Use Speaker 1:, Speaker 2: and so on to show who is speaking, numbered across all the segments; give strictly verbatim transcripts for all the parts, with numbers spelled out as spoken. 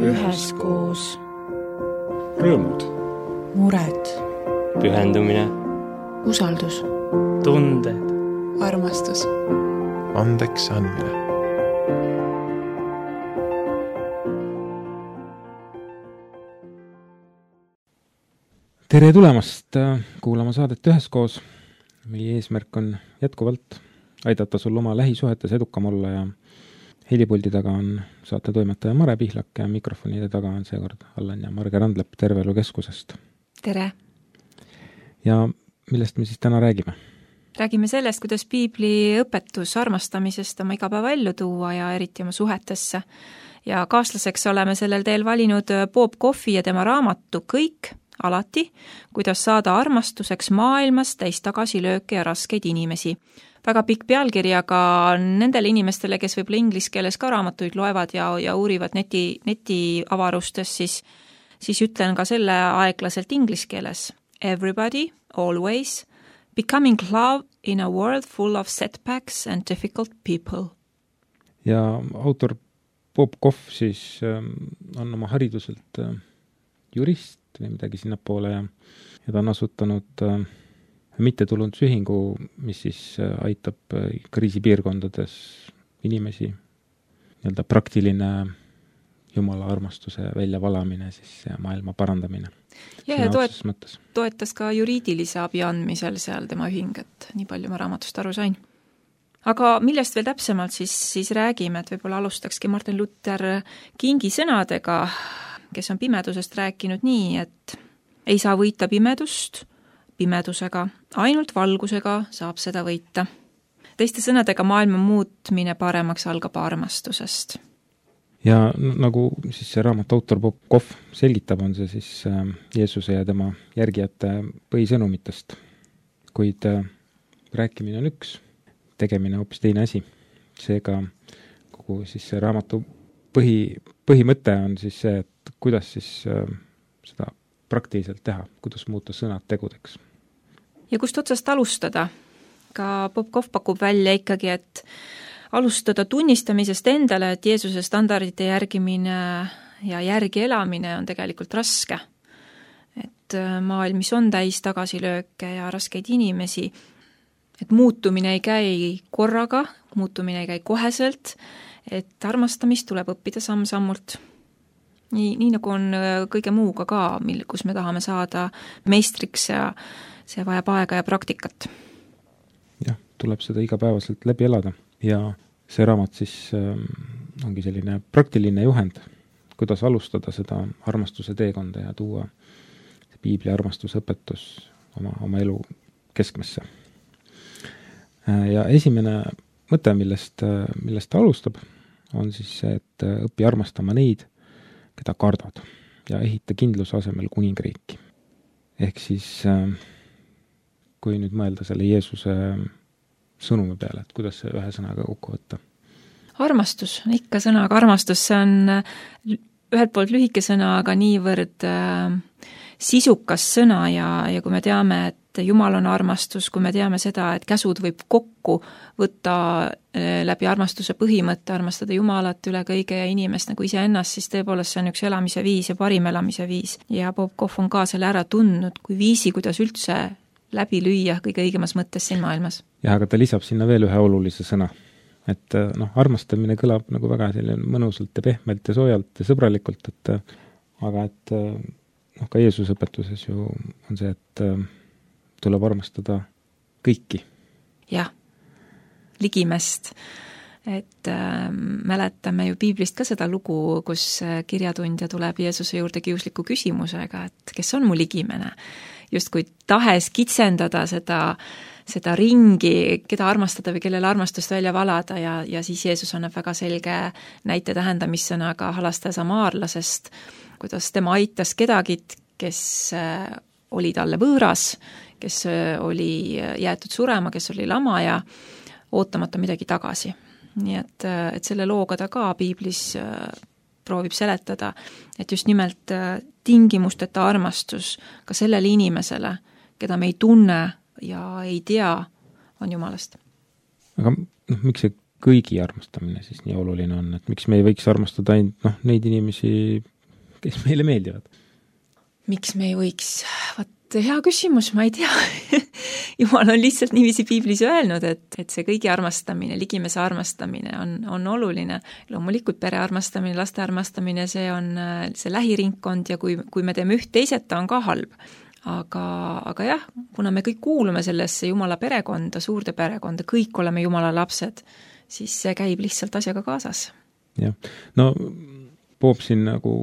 Speaker 1: üheskoos.
Speaker 2: Rõõmud.
Speaker 1: Mured.
Speaker 3: Pühendumine.
Speaker 1: Usaldus.
Speaker 3: Tunded.
Speaker 1: Armastus.
Speaker 2: Andeks andmine.
Speaker 4: Tere tulemast kuulama saadet Üheskoos. Meie eesmärk on jätkuvalt aidata sul oma lähisuhetes edukam olla ja helipuldi taga on saate toimetaja Mare Pihlak ja mikrofonide taga on seekord Allan ja Marge Randlepp Terveelu Keskusest.
Speaker 5: Tere!
Speaker 4: Ja millest me siis täna räägime?
Speaker 5: Räägime sellest, kuidas piibli õpetus armastamisest oma igapäeva ellu tuua ja eriti oma suhetesse. Ja kaaslaseks oleme sellel teel valinud Bob Koffi ja tema raamatu Kõik, alati, kuidas saada armastuseks maailmas täis tagasilööke ja raskeid inimesi. Väga pikk pealkiri, aga nendele inimestele, kes võib-olla inglise keeles ka raamatuid loevad ja, ja uurivad neti, neti avarustes, siis, siis ütlen ka selle aeglaselt inglise keeles. Everybody, always, becoming love in a world full of setbacks and difficult people.
Speaker 4: Ja autor Bob Koff siis on oma hariduselt jurist või midagi sinnapoole ja, ja ta on asutanud äh, mittetulundusühingu, mis siis äh, aitab äh, kriisipiirkondades inimesi, nii-öelda praktiline jumala armastuse väljavalamine siis ja maailma parandamine.
Speaker 5: Ja, ja toet, toetas ka juriidilise abi andmisel seal tema ühing, et nii palju ma raamatust aru sain. Aga millest veel täpsemalt siis, siis räägime, et võib-olla alustakski Martin Luther Kingi sõnadega, kes on pimedusest rääkinud nii, et ei saa võita pimedust pimedusega, ainult valgusega saab seda võita. Teiste sõnadega maailma muutmine paremaks algab armastusest.
Speaker 4: Ja nagu siis see raamat autor Bob Koff selgitab, on see siis Jeesuse ja tema järgijate põhisõnumitest. Kuid rääkimine on üks, tegemine hoopis teine asi. Seega kogu siis see raamatu põhi, põhimõte on siis see, et kuidas siis äh, seda praktiliselt teha, kuidas muuta sõnad tegudeks.
Speaker 5: Ja kust otsast alustada? Ka Bob Koff pakub välja ikkagi, et alustada tunnistamisest endale, et Jeesuse standardite järgimine ja järgi elamine on tegelikult raske. Et maailm, mis on täis tagasilööke ja raskeid inimesi, et muutumine ei käi korraga, muutumine ei käi koheselt, et armastamist tuleb õppida samm-sammult. Nii, nii nagu on kõige muuga ka, mil, kus me tahame saada meistriks ja see vajab aega ja praktikat.
Speaker 4: Jah, tuleb seda igapäevaselt läbi elada ja see raamat siis äh, ongi selline praktiline juhend, kuidas alustada seda armastuse teekonda ja tuua piibli armastuse õpetus oma, oma elu keskmesse. Äh, ja esimene mõte, millest, millest ta alustab, on siis see, et õpi armastama neid, keda kardad ja ehita kindluse asemel kuningriiki. Ehk siis, kui nüüd mõelda selle Jeesuse sõnumi peale, et kuidas see ühe sõnaga kokku võtta?
Speaker 5: Armastus, ikka sõnaga armastus, see on ühelt poolt lühike sõna, aga niivõrd äh, sisukas sõna ja, ja kui me teame, et Jumal on armastus, kui me teame seda, et käsud võib kokku võtta läbi armastuse põhimõtte, armastada Jumalat üle kõige ja inimest nagu iseennast, siis tõepoolest see on üks elamise viis ja parim elamise viis. Ja Bob Koff on ka selle ära tundnud, kui viisi, kuidas üldse läbi lüüa kõige õigemas mõttes siin maailmas.
Speaker 4: Ja, aga ta lisab sinna veel ühe olulise sõna. Et noh, armastamine kõlab nagu väga selline mõnusalt ja pehmelt ja soojalt ja sõbralikult, et aga et noh, ka Jeesuse õpetuses ju on see, et tuleb armastada kõiki.
Speaker 5: Jah, ligimest. Et äh, mäletame ju piiblist ka seda lugu, kus kirjatundja tuleb Jeesuse juurde kiusliku küsimusega, et kes on mu ligimene? Just kui tahes kitsendada seda, seda ringi, keda armastada või kellele armastust välja valada ja, ja siis Jeesus annab väga selge näite tähendamissõnaga halastaja samaarlasest, kuidas tema aitas kedagit, kes äh, oli talle võõras, kes oli jäetud surema, kes oli lama ja ootamata midagi tagasi. Nii et, et selle looga ta ka piiblis proovib seletada, et just nimelt tingimusteta armastus ka sellele inimesele, keda me ei tunne ja ei tea, on Jumalast.
Speaker 4: Aga noh, miks see kõigi armastamine siis nii oluline on, et miks me ei võiks armastada ainult noh, neid inimesi, kes meile meeldivad?
Speaker 5: Miks me ei võiks? Vat hea küsimus, ma ei tea. Jumal on lihtsalt niiviisi piiblis öelnud, et, et see kõigi armastamine, ligimese armastamine on, on oluline. Loomulikult pere armastamine, laste armastamine, see on see lähiringkond ja kui, kui me teeme üht teiseta, on ka halb. Aga, aga jah, kuna me kõik kuulume sellesse Jumala perekonda, suurde perekonda, kõik oleme Jumala lapsed, siis see käib lihtsalt asjaga kaasas.
Speaker 4: Jah, no Poop siin nagu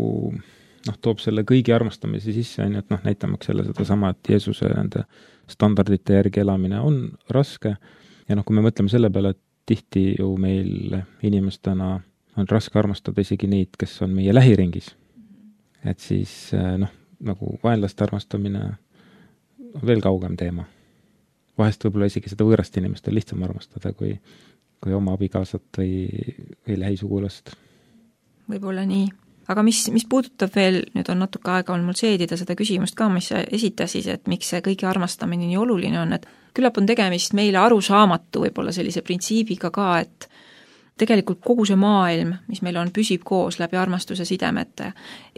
Speaker 4: noh, toob selle kõigi armastamise sisse, et noh, näitamaks selle seda sama, et Jeesuse nende standardite järgi elamine on raske ja noh, kui me mõtleme selle peale, et tihti ju meil inimestena on raske armastada isegi neid, kes on meie lähiringis, et siis noh, nagu vaenlaste armastamine on veel kaugem teema. Vahest võib-olla isegi seda võõrast inimest on lihtsam armastada kui, kui oma abikaasat või, või lähisugulast.
Speaker 5: Võib-olla nii. Aga mis, mis puudutab veel, nüüd on natuke aega on mul seedida seda küsimust ka, mis sa esitasid, et miks see kõigi armastamine nii oluline on, et küllap on tegemist meile arusaamatu võib-olla sellise printsiibiga ka, et tegelikult kogu see maailm, mis meil on, püsib koos läbi armastuse sidemete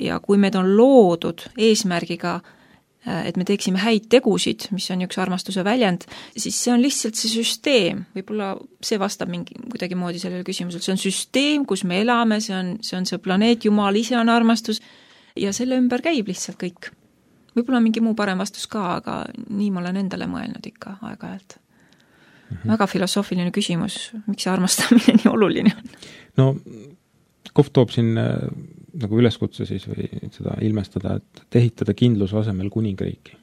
Speaker 5: ja kui meid on loodud eesmärgiga, et me teeksime häid tegusid, mis on üks armastuse väljend, siis see on lihtsalt see süsteem, võib-olla see vastab mingi kuidagi moodi sellele küsimusele, see on süsteem, kus me elame, see on, see on see planeet, Jumal ise on armastus ja selle ümber käib lihtsalt kõik. Võib-olla on mingi muu parem vastus ka, aga nii ma olen endale mõelnud ikka aeg-ajalt. Mm-hmm. Väga filosoofiline küsimus, miks see armastamine nii oluline on?
Speaker 4: No, Kohv toob siin nagu üleskutse siis või seda ilmestada, et ehitada kindluse asemel kuningriiki.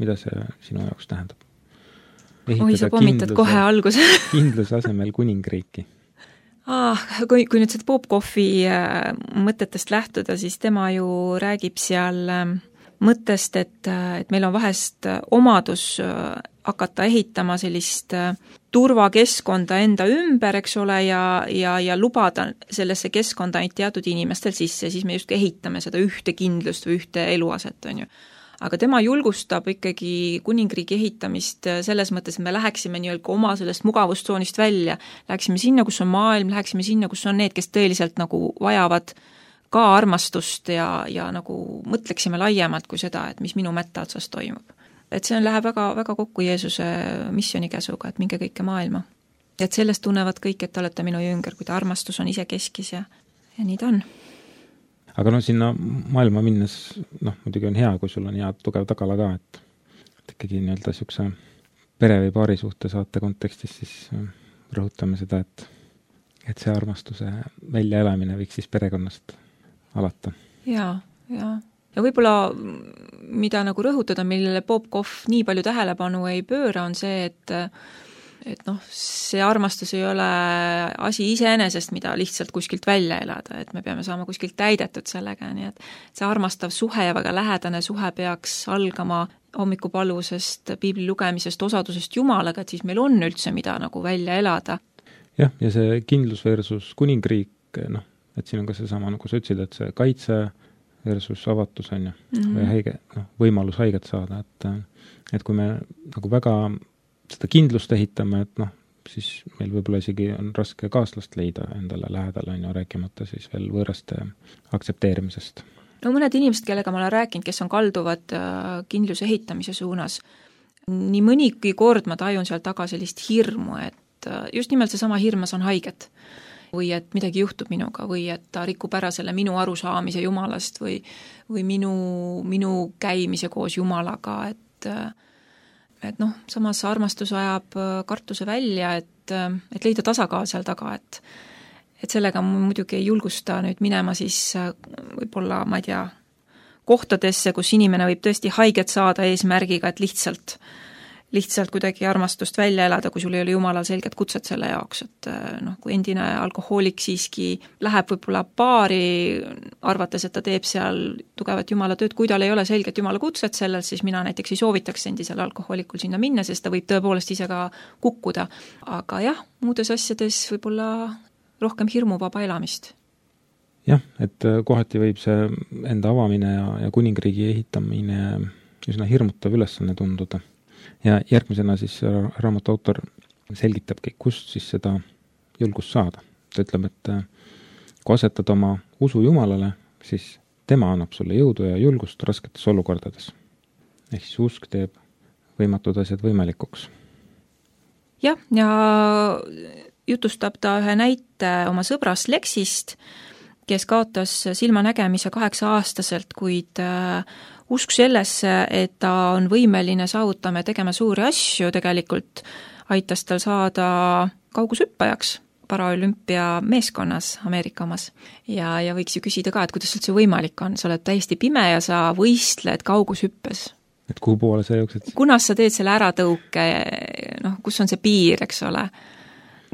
Speaker 4: Mida see sinu jaoks tähendab? Ehitada
Speaker 5: Oi, sa pommitad kohe alguse.
Speaker 4: kindluse asemel kuningriiki.
Speaker 5: Ah, kui, kui nüüd seda Poop Kohvi mõtetest lähtuda, siis tema ju räägib seal mõttest, et, et meil on vahest omadus hakata ehitama sellist turvakeskkonda enda ümber, eks ole, ja, ja, ja lubada sellesse keskkonda ainult teatud inimestel sisse, siis me just ehitame seda ühte kindlust või ühte eluaset, on ju. Aga tema julgustab ikkagi kuningriigi ehitamist selles mõttes, et me läheksime nii-öelda oma sellest mugavustsoonist välja, läheksime sinna, kus on maailm, läheksime sinna, kus on need, kes tõeliselt nagu vajavad ka armastust ja, ja nagu mõtleksime laiemalt kui seda, et mis minu mätta otsas toimub. Et see on, läheb väga, väga kokku Jeesuse missionikäsuga, et minge kõike maailma. Et sellest tunnevad kõik, et te olete minu jünger, kui ta armastus on ise keskis ja, ja nii ta on.
Speaker 4: Aga no sinna maailma minnes, noh, muidugi on hea, kui sul on hea tugev tagala ka, et, et ikkagi nii-öelda siukse pere või paari suhte saate kontekstis siis rõhutame seda, et, et see armastuse väljaelamine võiks siis perekonnast alata. Jaa,
Speaker 5: jaa. Ja võib-olla, mida nagu rõhutada, millele Poop Kohv nii palju tähelepanu ei pööra, on see, et, et noh, see armastus ei ole asi iseenesest, mida lihtsalt kuskilt välja elada, et me peame saama kuskilt täidetud sellega, nii et see armastav suhe ja väga lähedane suhe peaks algama hommikupalusest, piibli lugemisest, osadusest Jumalaga, et siis meil on üldse mida nagu välja elada.
Speaker 4: Jah, ja see kindlus versus kuningriik, noh, et siin on ka see sama, nagu sa ütlesid, et see kaitse versus avatus on ju, mm-hmm. või haige, noh, võimalus haiget saada, et, et kui me nagu väga seda kindlust ehitame, et noh, siis meil võib-olla isegi on raske kaaslast leida endale lähedale, on ju, rääkimata siis veel võõraste aktsepteerimisest.
Speaker 5: No mõned inimesed, kellega ma olen rääkinud, kes on kalduvad kindluse ehitamise suunas, nii mõnigi kord ma tajun seal taga sellist hirmu, et just nimelt see sama hirmas on haiget. Või et midagi juhtub minuga või et ta rikub ära selle minu arusaamise Jumalast või, või minu, minu käimise koos Jumalaga, et, et noh, samas armastus ajab kartuse välja, et, et leida tasakaal seal taga, et, et sellega muidugi ei julgusta nüüd minema siis võib-olla, ma ei tea, kohtadesse, kus inimene võib tõesti haiget saada eesmärgiga, et lihtsalt lihtsalt kuidagi armastust välja elada, kui sul ei ole Jumalal selget kutset selle jaoks, et noh, kui endine alkohoolik siiski läheb võib-olla baari, arvates, et ta teeb seal tugevat Jumala tööd, kui tal ei ole selget Jumala kutset sellel, siis mina näiteks ei soovitaks endisel alkohoolikul sinna minna, sest ta võib tõepoolest ise ka kukkuda. Aga jah, muudes asjades võib-olla rohkem hirmuvaba elamist.
Speaker 4: Jah, et kohati võib see enda avamine ja, ja kuningriigi ehitamine üsna hirmutav ülesanne tunduda. Ja järgmisena siis raamatu autor selgitabki, kust siis seda julgust saada. Ta ütleb, et kui asetad oma usu Jumalale, siis tema annab sulle jõudu ja julgust rasketes olukordades. Ehk siis usk teeb võimatud asjad võimalikuks.
Speaker 5: Jah, ja jutustab ta ühe näite oma sõbrast Lexist, kes kaotas silmanägemise kaheksa aastaselt, kuid usk sellesse, et ta on võimeline saavutama ja tegema suuri asju, tegelikult aitas tal saada kaugushüppajaks paraolümpia meeskonnas Ameerika omas. Ja, ja võiks ju küsida ka, et kuidas üldse võimalik on, sa oled täiesti pime ja sa võistled kaugushüppes.
Speaker 4: Et kuhu poole sa jooksed?
Speaker 5: Kunas sa teed selle äratõuke, noh, kus on see piir, eks ole?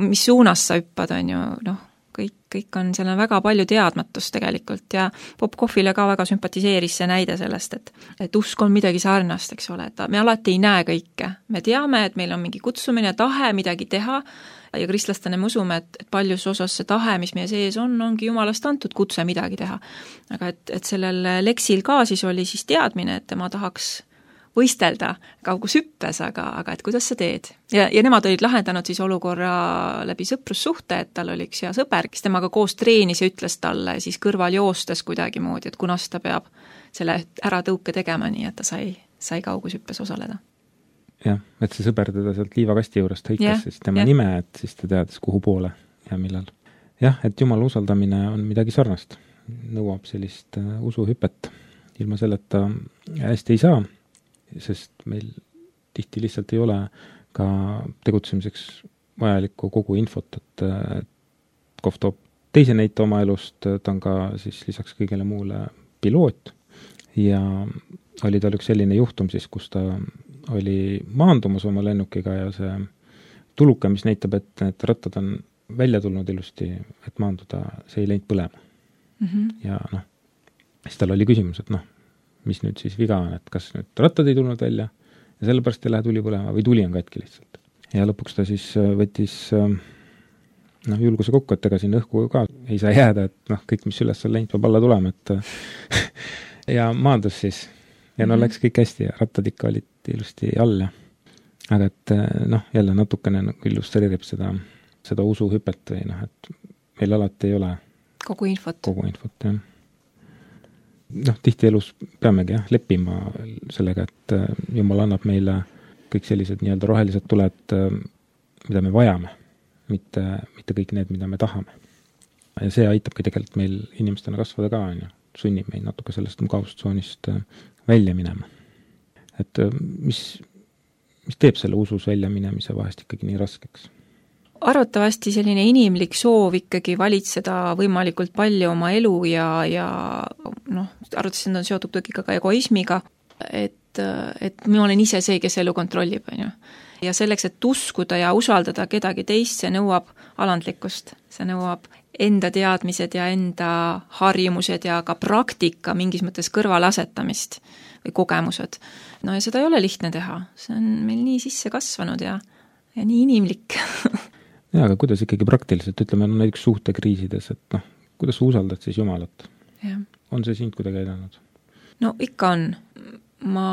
Speaker 5: Mis suunas sa hüppad, on ju, noh, kõik, kõik on, seal on väga palju teadmatust tegelikult ja Bob Kohvile ka väga sümpatiseeris see näide sellest, et, et usk on midagi sarnast, eks ole, et me alati ei näe kõike. Me teame, et meil on mingi kutsumine, tahe midagi teha ja kristlastena me usume, et, et paljus osas see tahe, mis meie sees on, ongi Jumalast antud kutse midagi teha. Aga et, et sellel Lexil ka siis oli siis teadmine, et tema tahaks võistelda kaugushüppes, aga, aga et kuidas sa teed. Ja, ja nemad olid lahendanud siis olukorra läbi sõprussuhte, et tal oli üks hea sõber, kes temaga koos treenis ja ütles talle siis kõrval joostes kuidagi moodi, et kunas ta peab selle äratõuke tegema, nii et ta sai, sai kaugushüppes osaleda.
Speaker 4: Jah, et see sõber teda sealt liivakasti juurest hõikas
Speaker 5: ja,
Speaker 4: siis tema
Speaker 5: ja.
Speaker 4: nime, et siis ta teadis kuhu poole ja millal. Jah, et Jumala usaldamine on midagi sarnast. Nõuab sellist uh, usuhüpet. Ilma selleta hästi ei saa, sest meil tihti lihtsalt ei ole ka tegutsemiseks vajalikku kogu infot, et Kohv toob teise näite oma elust, ta on ka siis lisaks kõigele muule piloot ja oli tal üks selline juhtum siis, kus ta oli maandumas oma lennukiga ja see tuluke, mis näitab, et need rattad on välja tulnud ilusti, et maanduda, see ei läinud põlema. Mm-hmm. Ja noh, siis tal oli küsimus, et noh, mis nüüd siis viga on, et kas nüüd rattad ei tulnud välja ja sellepärast ei lähe tuli põlema või tuli on katki lihtsalt. Ja lõpuks ta siis võttis noh, julguse kokku, et ega siin õhku ka ei saa jääda, et noh, kõik, mis üles on läinud, peab alla tulema, et ja maandus siis. Ja no läks kõik hästi ja rattad ikka olid ilusti all. Aga et noh, jälle natukene illustreerib seda, seda usuhüpet või noh, et meil alati ei ole
Speaker 5: kogu infot.
Speaker 4: Kogu infot, jah. Noh, tihti elus peamegi jah, leppima sellega, et Jumal annab meile kõik sellised nii-öelda rohelised tuled, mida me vajame, mitte, mitte kõik need, mida me tahame. Ja see aitabki tegelikult meil inimestena kasvada ka, on ju, sunnib meid natuke sellest mugavustsoonist välja minema. Et mis, mis teeb selle usus välja minemise vahest ikkagi nii raskeks?
Speaker 5: Arvatavasti selline inimlik soov ikkagi valitseda võimalikult palju oma elu ja, ja noh, arvatavasti on seotud tõesti ka egoismiga, et, et ma olen ise see, kes elu kontrollib, on ju. Ja selleks, et uskuda ja usaldada kedagi teist, see nõuab alandlikkust, see nõuab enda teadmised ja enda harjumused ja ka praktika mingis mõttes kõrvalasetamist või kogemused. No ja seda ei ole lihtne teha, see on meil nii sisse kasvanud ja, ja nii inimlik.
Speaker 4: Ja, aga kuidas ikkagi praktiliselt, ütleme, no näiteks suhtekriisides, et noh, kuidas sa usaldad siis Jumalat? Ja. On see sind kuidagi aidanud?
Speaker 5: No ikka on. Ma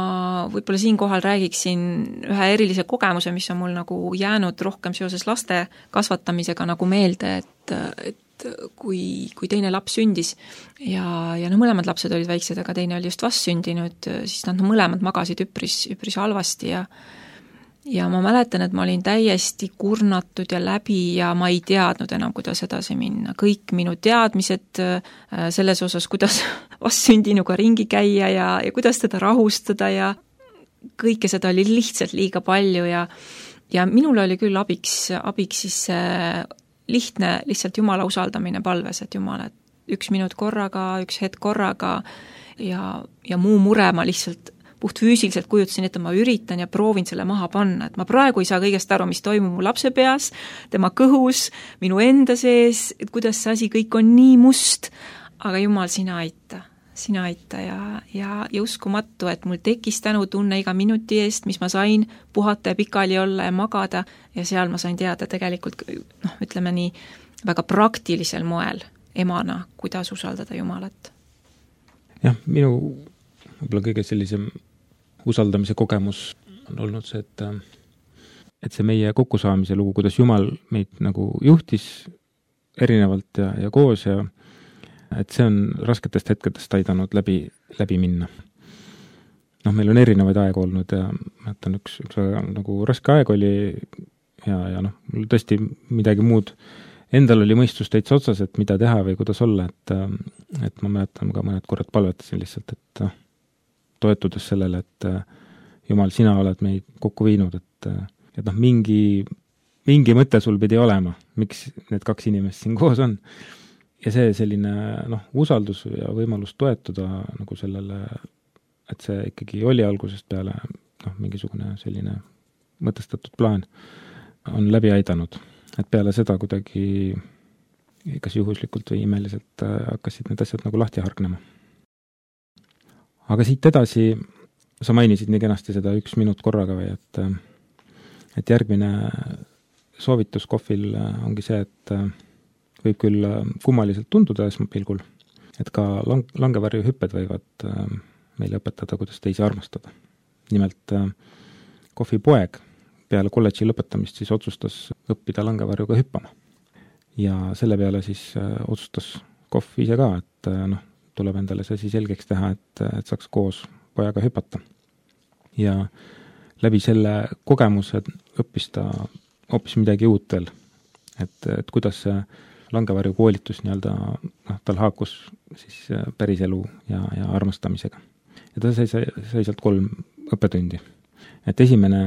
Speaker 5: võib-olla siin kohal räägiksin ühe erilise kogemuse, mis on mul nagu jäänud rohkem seoses laste kasvatamisega nagu meelde, et, et kui, kui teine laps sündis ja, ja no mõlemad lapsed olid väiksed, aga teine oli just vast sündinud, siis nad no, mõlemad magasid üpris, üpris halvasti ja Ja ma mäletan, et ma olin täiesti kurnatud ja läbi ja ma ei teadnud enam, kuidas edasi minna. Kõik minu teadmised selles osas, kuidas vastsündinuga ringi käia ja, ja kuidas teda rahustada ja kõike seda oli lihtsalt liiga palju ja, ja minul oli küll abiks, abiks siis lihtne lihtsalt Jumala usaldamine palves, et Jumal, et üks minut korraga, üks hetk korraga ja, ja muu mure ma lihtsalt puht füüsiliselt kujutasin, et ma üritan ja proovin selle maha panna, et ma praegu ei saa kõigest aru, mis toimub mu lapse peas, tema kõhus, minu enda sees, et kuidas see asi kõik on nii must, aga Jumal, sina aita, sina aita ja, ja, ja uskumatu, et mul tekkis tänu tunne iga minuti eest, mis ma sain puhata ja pikali olla ja magada ja seal ma sain teada tegelikult, noh, ütleme nii, väga praktilisel moel emana, kuidas usaldada Jumalat.
Speaker 4: Jah, minu võib-olla kõige sellisem usaldamise kogemus on olnud see, et et see meie kokkusaamise lugu, kuidas Jumal meid nagu juhtis erinevalt ja, ja koos ja et see on rasketest hetkedest aidanud läbi, läbi minna. Noh, meil on erinevaid aegu olnud ja mäletan, üks, üks väga nagu raske aeg oli ja, ja noh, mul tõesti midagi muud endal oli mõistus täitsa otsas, et mida teha või kuidas olla, et, et ma mäletan ka mõned korrad palvetasin lihtsalt, et toetudes sellele, et Jumal, sina oled meid kokku viinud, et, et noh, mingi, mingi mõte sul pidi olema, miks need kaks inimest siin koos on. Ja see selline noh, usaldus ja võimalus toetuda nagu sellele, et see ikkagi oli algusest peale noh, mingisugune selline mõtestatud plaan on läbi aidanud. Et peale seda kuidagi kas juhuslikult või imeliselt hakkasid need asjad nagu lahti hargnema. Aga siit edasi sa mainisid nii kenasti seda üks minut korraga või, et, et järgmine soovitus kohvil ongi see, et võib küll kummaliselt tunduda esmapilgul, et ka lang- langevarju hüpped võivad meile õpetada, kuidas teisi armastada. Nimelt kohvipoeg peale kolledži lõpetamist siis otsustas õppida langevarjuga hüppama. Ja selle peale siis otsustas kohv ise ka, et noh, tuleb endale see siis selgeks teha, et, et saaks koos pojaga hüpata. Ja läbi selle kogemuse õppis ta hoopis midagi uut veel. Et, et kuidas see langevarju koolitus nii-öelda, noh, tal haakus siis päris elu ja, ja armastamisega. Ja ta sai, sai sealt kolm õppetundi. Et esimene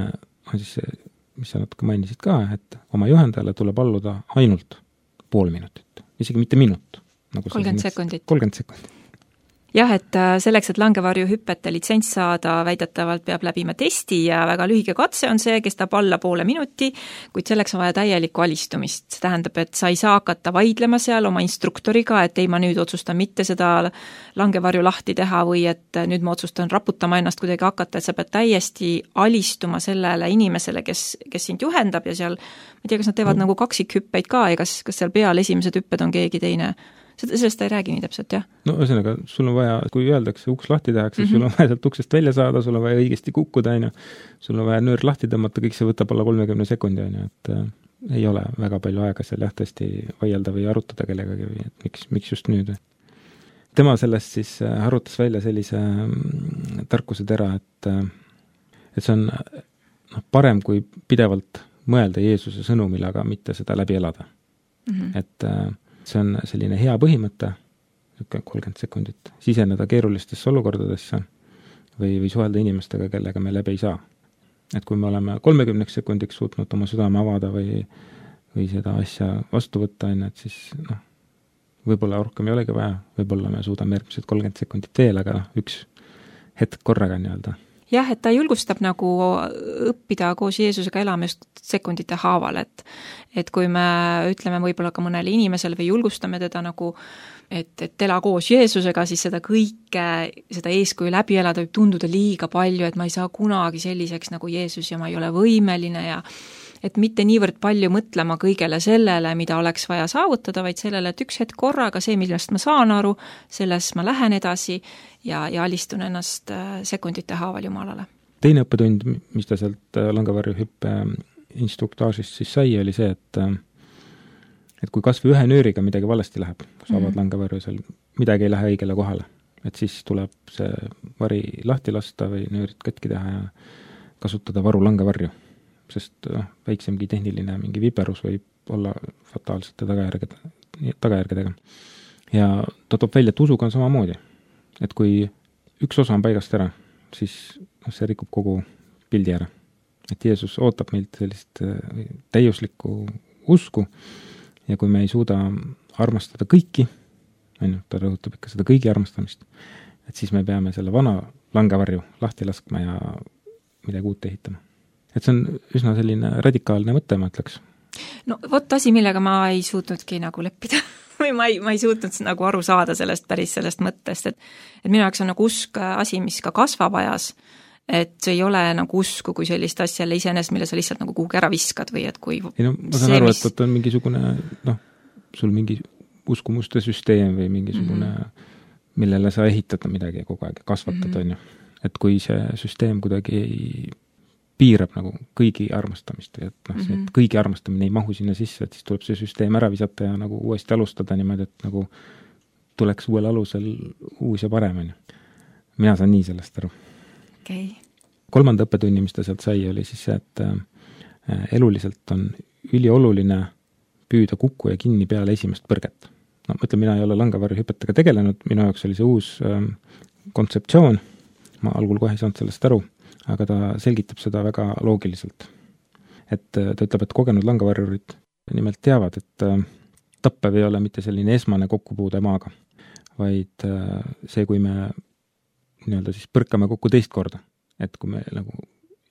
Speaker 4: on siis see, mis sa natuke mainisid ka, et oma juhendajale tuleb alluda ainult pool minutit. Isegi mitte minut. Nagu
Speaker 5: kolmkümmend sekundit.
Speaker 4: kolmkümmend sekundit.
Speaker 5: Jah, et selleks, et langevarju hüpete litsents saada, väidetavalt peab läbima testi ja väga lühike katse on see, kestab alla poole minuti, kuid selleks on vaja täielikku alistumist. See tähendab, et sa ei saa hakata vaidlema seal oma instruktoriga, et ei, ma nüüd otsustan mitte seda langevarju lahti teha või et nüüd ma otsustan raputama ennast kuidagi hakata, et sa pead täiesti alistuma sellele inimesele, kes, kes sind juhendab ja seal, ma ei tea, kas nad teevad no. nagu kaksikhüppeid ka ja kas, kas seal peal esimesed hüpped on keegi teine. Sellest ta ei räägi nii täpselt, jah?
Speaker 4: No ühesõnaga, sul on vaja, kui öeldakse, uks lahti tehakse, mm-hmm. sul on vaja sealt uksest välja saada, sul on vaja õigesti kukkuda, ainu. Sul on vaja nöör lahti tõmmata, kõik see võtab alla kolmekümne sekundi, ainu, et äh, ei ole väga palju aega seal jah, tõesti vaielda või arutada kellegagi või et miks, miks just nüüd. Tema sellest siis äh, arutas välja sellise äh, tarkuse tera, et, äh, et see on noh, parem kui pidevalt mõelda Jeesuse sõnumile, aga mitte seda läbi elada. Mm-hmm. Et äh, see on selline hea põhimõte, kolmkümmend sekundit, siseneda keerulistesse olukordadesse või, või suhelda inimestega, kellega me läbi ei saa. Et kui me oleme kolmekümneks sekundiks suutnud oma südame avada või, või seda asja vastu võtta, et siis noh, võib-olla rohkem ei olegi vaja, võib-olla me suudame järgmised kolmkümmend sekundit veel, aga noh, üks hetk korraga nii-öelda.
Speaker 5: Jah, et ta julgustab nagu õppida koos Jeesusega elama just sekundite haaval, et, et kui me ütleme võib-olla ka mõnele inimesele või julgustame teda nagu, et, et ela koos Jeesusega, siis seda kõike, seda eeskuju läbi elada võib tunduda liiga palju, et ma ei saa kunagi selliseks nagu Jeesus ja ma ei ole võimeline ja et mitte niivõrd palju mõtlema kõigele sellele, mida oleks vaja saavutada, vaid sellele, et üks hetk korraga see, millest ma saan aru, selles ma lähen edasi ja, ja alistun ennast sekundite haaval Jumalale. Teine
Speaker 4: õppetund, mis ta sealt langevarju hüppe instruktaažist siis sai, oli see, et, et kui kas või ühe nööriga midagi valesti läheb, kui sa avad mm-hmm. langevarju seal, midagi ei lähe õigele kohale, et siis tuleb see vari lahti lasta või nöörid katki teha ja kasutada varu langevarju. Sest noh, väiksemgi tehniline mingi viperus võib olla fataalsete tagajärgede, tagajärgedega. Ja ta toob välja, et usuga on samamoodi. Et kui üks osa on paigast ära, siis see rikub kogu pildi ära. Et Jeesus ootab meilt sellist täiuslikku usku ja kui me ei suuda armastada kõiki, ta rõhutab ikka seda kõigi armastamist, et siis me peame selle vana langevarju lahti laskma ja midagi uut ehitama. Et see on üsna selline radikaalne mõte, ma ütleks.
Speaker 5: No vot asi, millega ma ei suutnudki nagu leppida või ma ei, ma ei suutnud nagu aru saada sellest päris sellest mõttest, et, et minu jaoks on nagu usk asi, mis ka kasvab ajas, et see ei ole nagu usku kui sellist asja iseenesest, mille sa lihtsalt nagu kuhugi ära viskad või et kui
Speaker 4: ei no, ma saan see, aru, mis... et on mingisugune noh, sul mingi uskumuste süsteem või mingisugune mm-hmm. millele sa ehitad midagi kogu aeg, kasvatad mm-hmm. on ju. Et kui see süsteem kuidagi ei piirab nagu kõigi armastamist, et noh, see,
Speaker 5: Mhm.
Speaker 4: et kõigi armastamine ei mahu sinna sisse, et siis tuleb see süsteem ära visata ja nagu uuesti alustada niimoodi, et nagu tuleks uuel alusel uus ja parem, on ju. Mina saan nii sellest aru.
Speaker 5: Okei. Okay.
Speaker 4: Kolmanda õppetunni, mis ta sealt sai, oli siis see, et äh, eluliselt on ülioluline püüda kukku ja kinni peale esimest põrget. No mõtlen, mina ei ole langavarjuhüpetega tegelenud, minu jaoks oli see uus äh, kontseptsioon, ma algul kohe ei saanud sellest aru, aga ta selgitab seda väga loogiliselt. Et ta ütleb, et kogenud langavarjurid nimelt teavad, et äh, tappev ei ole mitte selline esmane kokkupuude maaga, vaid äh, see, kui me nii-öelda siis põrkame kokku teist korda, et kui me nagu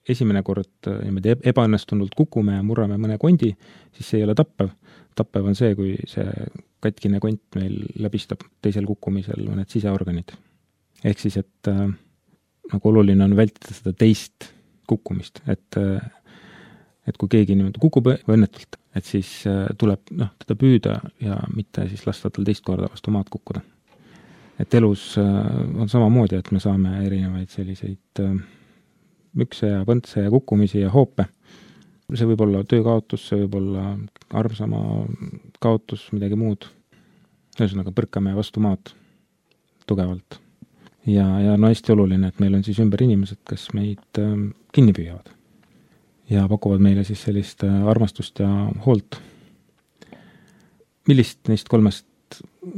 Speaker 4: esimene kord niimoodi ebaõnnestunult kukume ja murrame mõne kondi, siis see ei ole tappev. Tappev on see, kui see katkine kont meil läbistab teisel kukkumisel mõned siseorganid. Ehk siis, et äh, nagu oluline on vältida seda teist kukkumist, et, äh, et kui keegi niimoodi kukub õnnetult, et siis äh, tuleb noh, teda püüda ja mitte siis lasta tal teist korda vastu maad kukkuda. Et elus äh, on samamoodi, et me saame erinevaid selliseid äh, mükse ja põntse ja kukkumisi ja hoope. See võib olla töökaotus, see võib olla armsama kaotus, midagi muud. Ühesõnaga põrkame vastu maad tugevalt. Ja, ja no hästi oluline, et meil on siis ümber inimesed, kes meid äh, kinni püüavad. Ja pakuvad meile siis sellist äh, armastust ja hoolt. Millist neist kolmest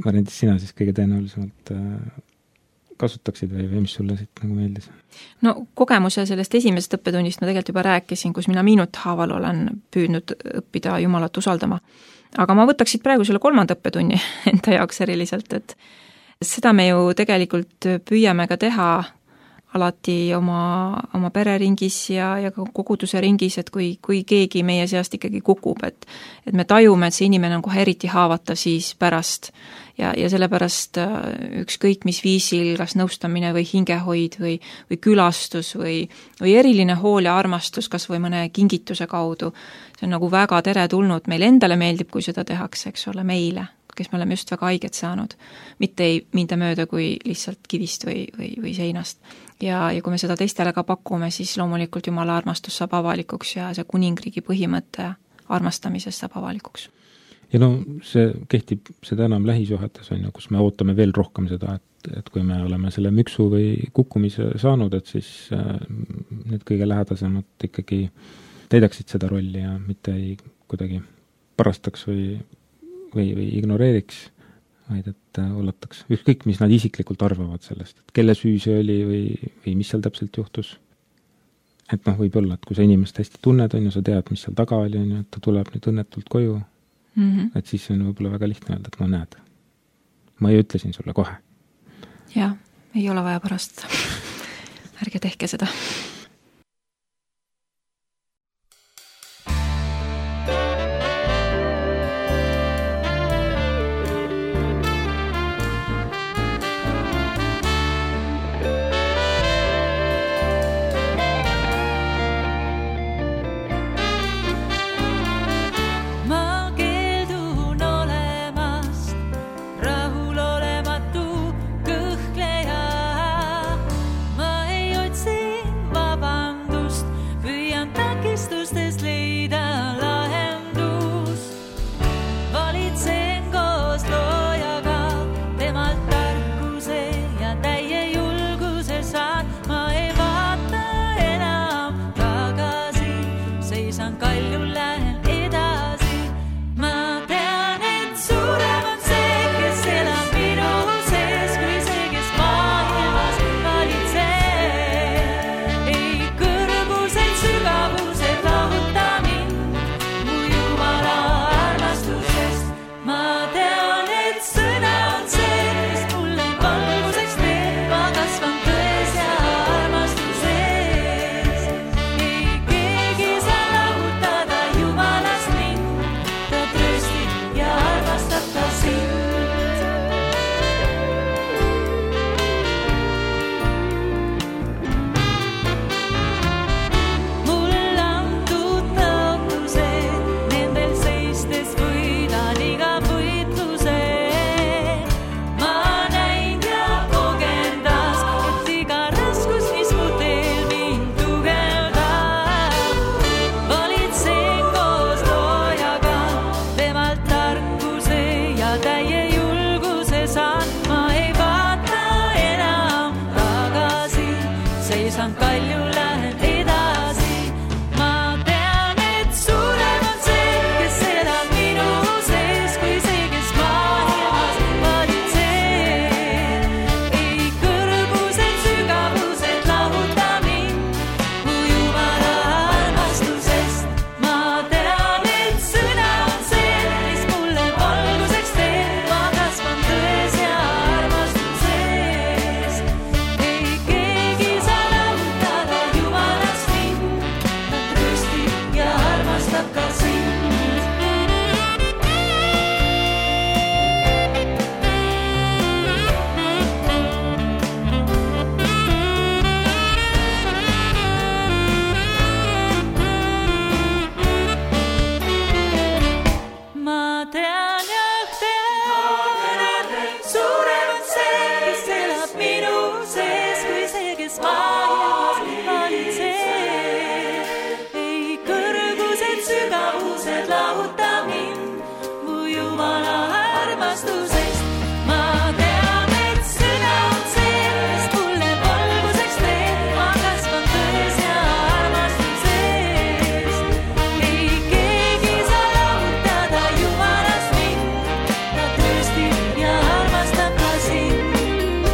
Speaker 4: variandist sina siis kõige tõenäolisemalt äh, kasutaksid või, või mis sulle siit nagu meeldis?
Speaker 5: No kogemuse sellest esimesest õppetunnist ma tegelikult juba rääkisin, kus mina minut haaval olen püüdnud õppida Jumalat usaldama. Aga ma võtaksid praegu selle kolmanda õppetunni enda jaoks eriliselt, et seda me ju tegelikult püüame ka teha alati oma, oma pereringis ja, ja ka koguduse ringis, et kui, kui keegi meie seast ikkagi kukub, et, et me tajume, et see inimene on kohe eriti haavatav siis pärast ja, ja sellepärast ükskõik mis viisil, kas nõustamine või hingehoid või, või külastus või, või eriline hool ja armastus, kas või mõne kingituse kaudu, see on nagu väga teretulnud, meil endale meeldib, kui seda tehakse, eks ole, meile, kes me oleme just väga haiget saanud, mitte ei minda mööda kui lihtsalt kivist või, või, või seinast. Ja, ja kui me seda teistele ka pakume, siis loomulikult Jumala armastus saab avalikuks ja see kuningriigi põhimõte armastamisest saab avalikuks.
Speaker 4: Ja no see kehtib seda enam lähisuhetes, on ju, kus me ootame veel rohkem seda, et, et kui me oleme selle müksu või kukkumise saanud, et siis äh, need kõige lähedasemad ikkagi täidaksid seda rolli ja mitte ei kuidagi parastaks või või, või ignoreeriks, vaid et ollataks ükskõik, mis nad isiklikult arvavad sellest, et kelle süü see oli või, või mis seal täpselt juhtus. Et noh, võib olla, et kui sa inimest hästi tunned, on ju, sa tead, mis seal taga oli, on ju, et ta tuleb nüüd õnnetult koju, mm-hmm. et siis on võib-olla väga lihtne öelda, et no näed, ma ei ütlesin sulle kohe.
Speaker 5: Jah, ei ole vaja parastada. Ärge tehke seda.
Speaker 6: Ma ei otsi seisan kalju, lähen edasi. Ma tean, et suurem on see, kes elab minu sees, kui see, kes maailmas valitseb. Ei kõrgused, sügavused lahuta mind mu Jumala armastusest. Ma tean, et sõna on see, mis mulle valguseks teeb. Ma kasvan tões ja armastuses. Ei keegi saa lahutada Jumalast mind. Ta trööstib ja armastab ka sind. Ma tean ja tean, et suurem on see, kes elab minu sees, kui see, kes maailmas valitseb. Ei kõrgused, sügavused lahuta mind mu Jumala armastusest. Ma tean, et sõna on see, mis mulle valguseks teeb. Ma kasvan tões ja armastuses. Ei keegi saa lahutada Jumalast mind. Ta trööstib ja armastab ka sind.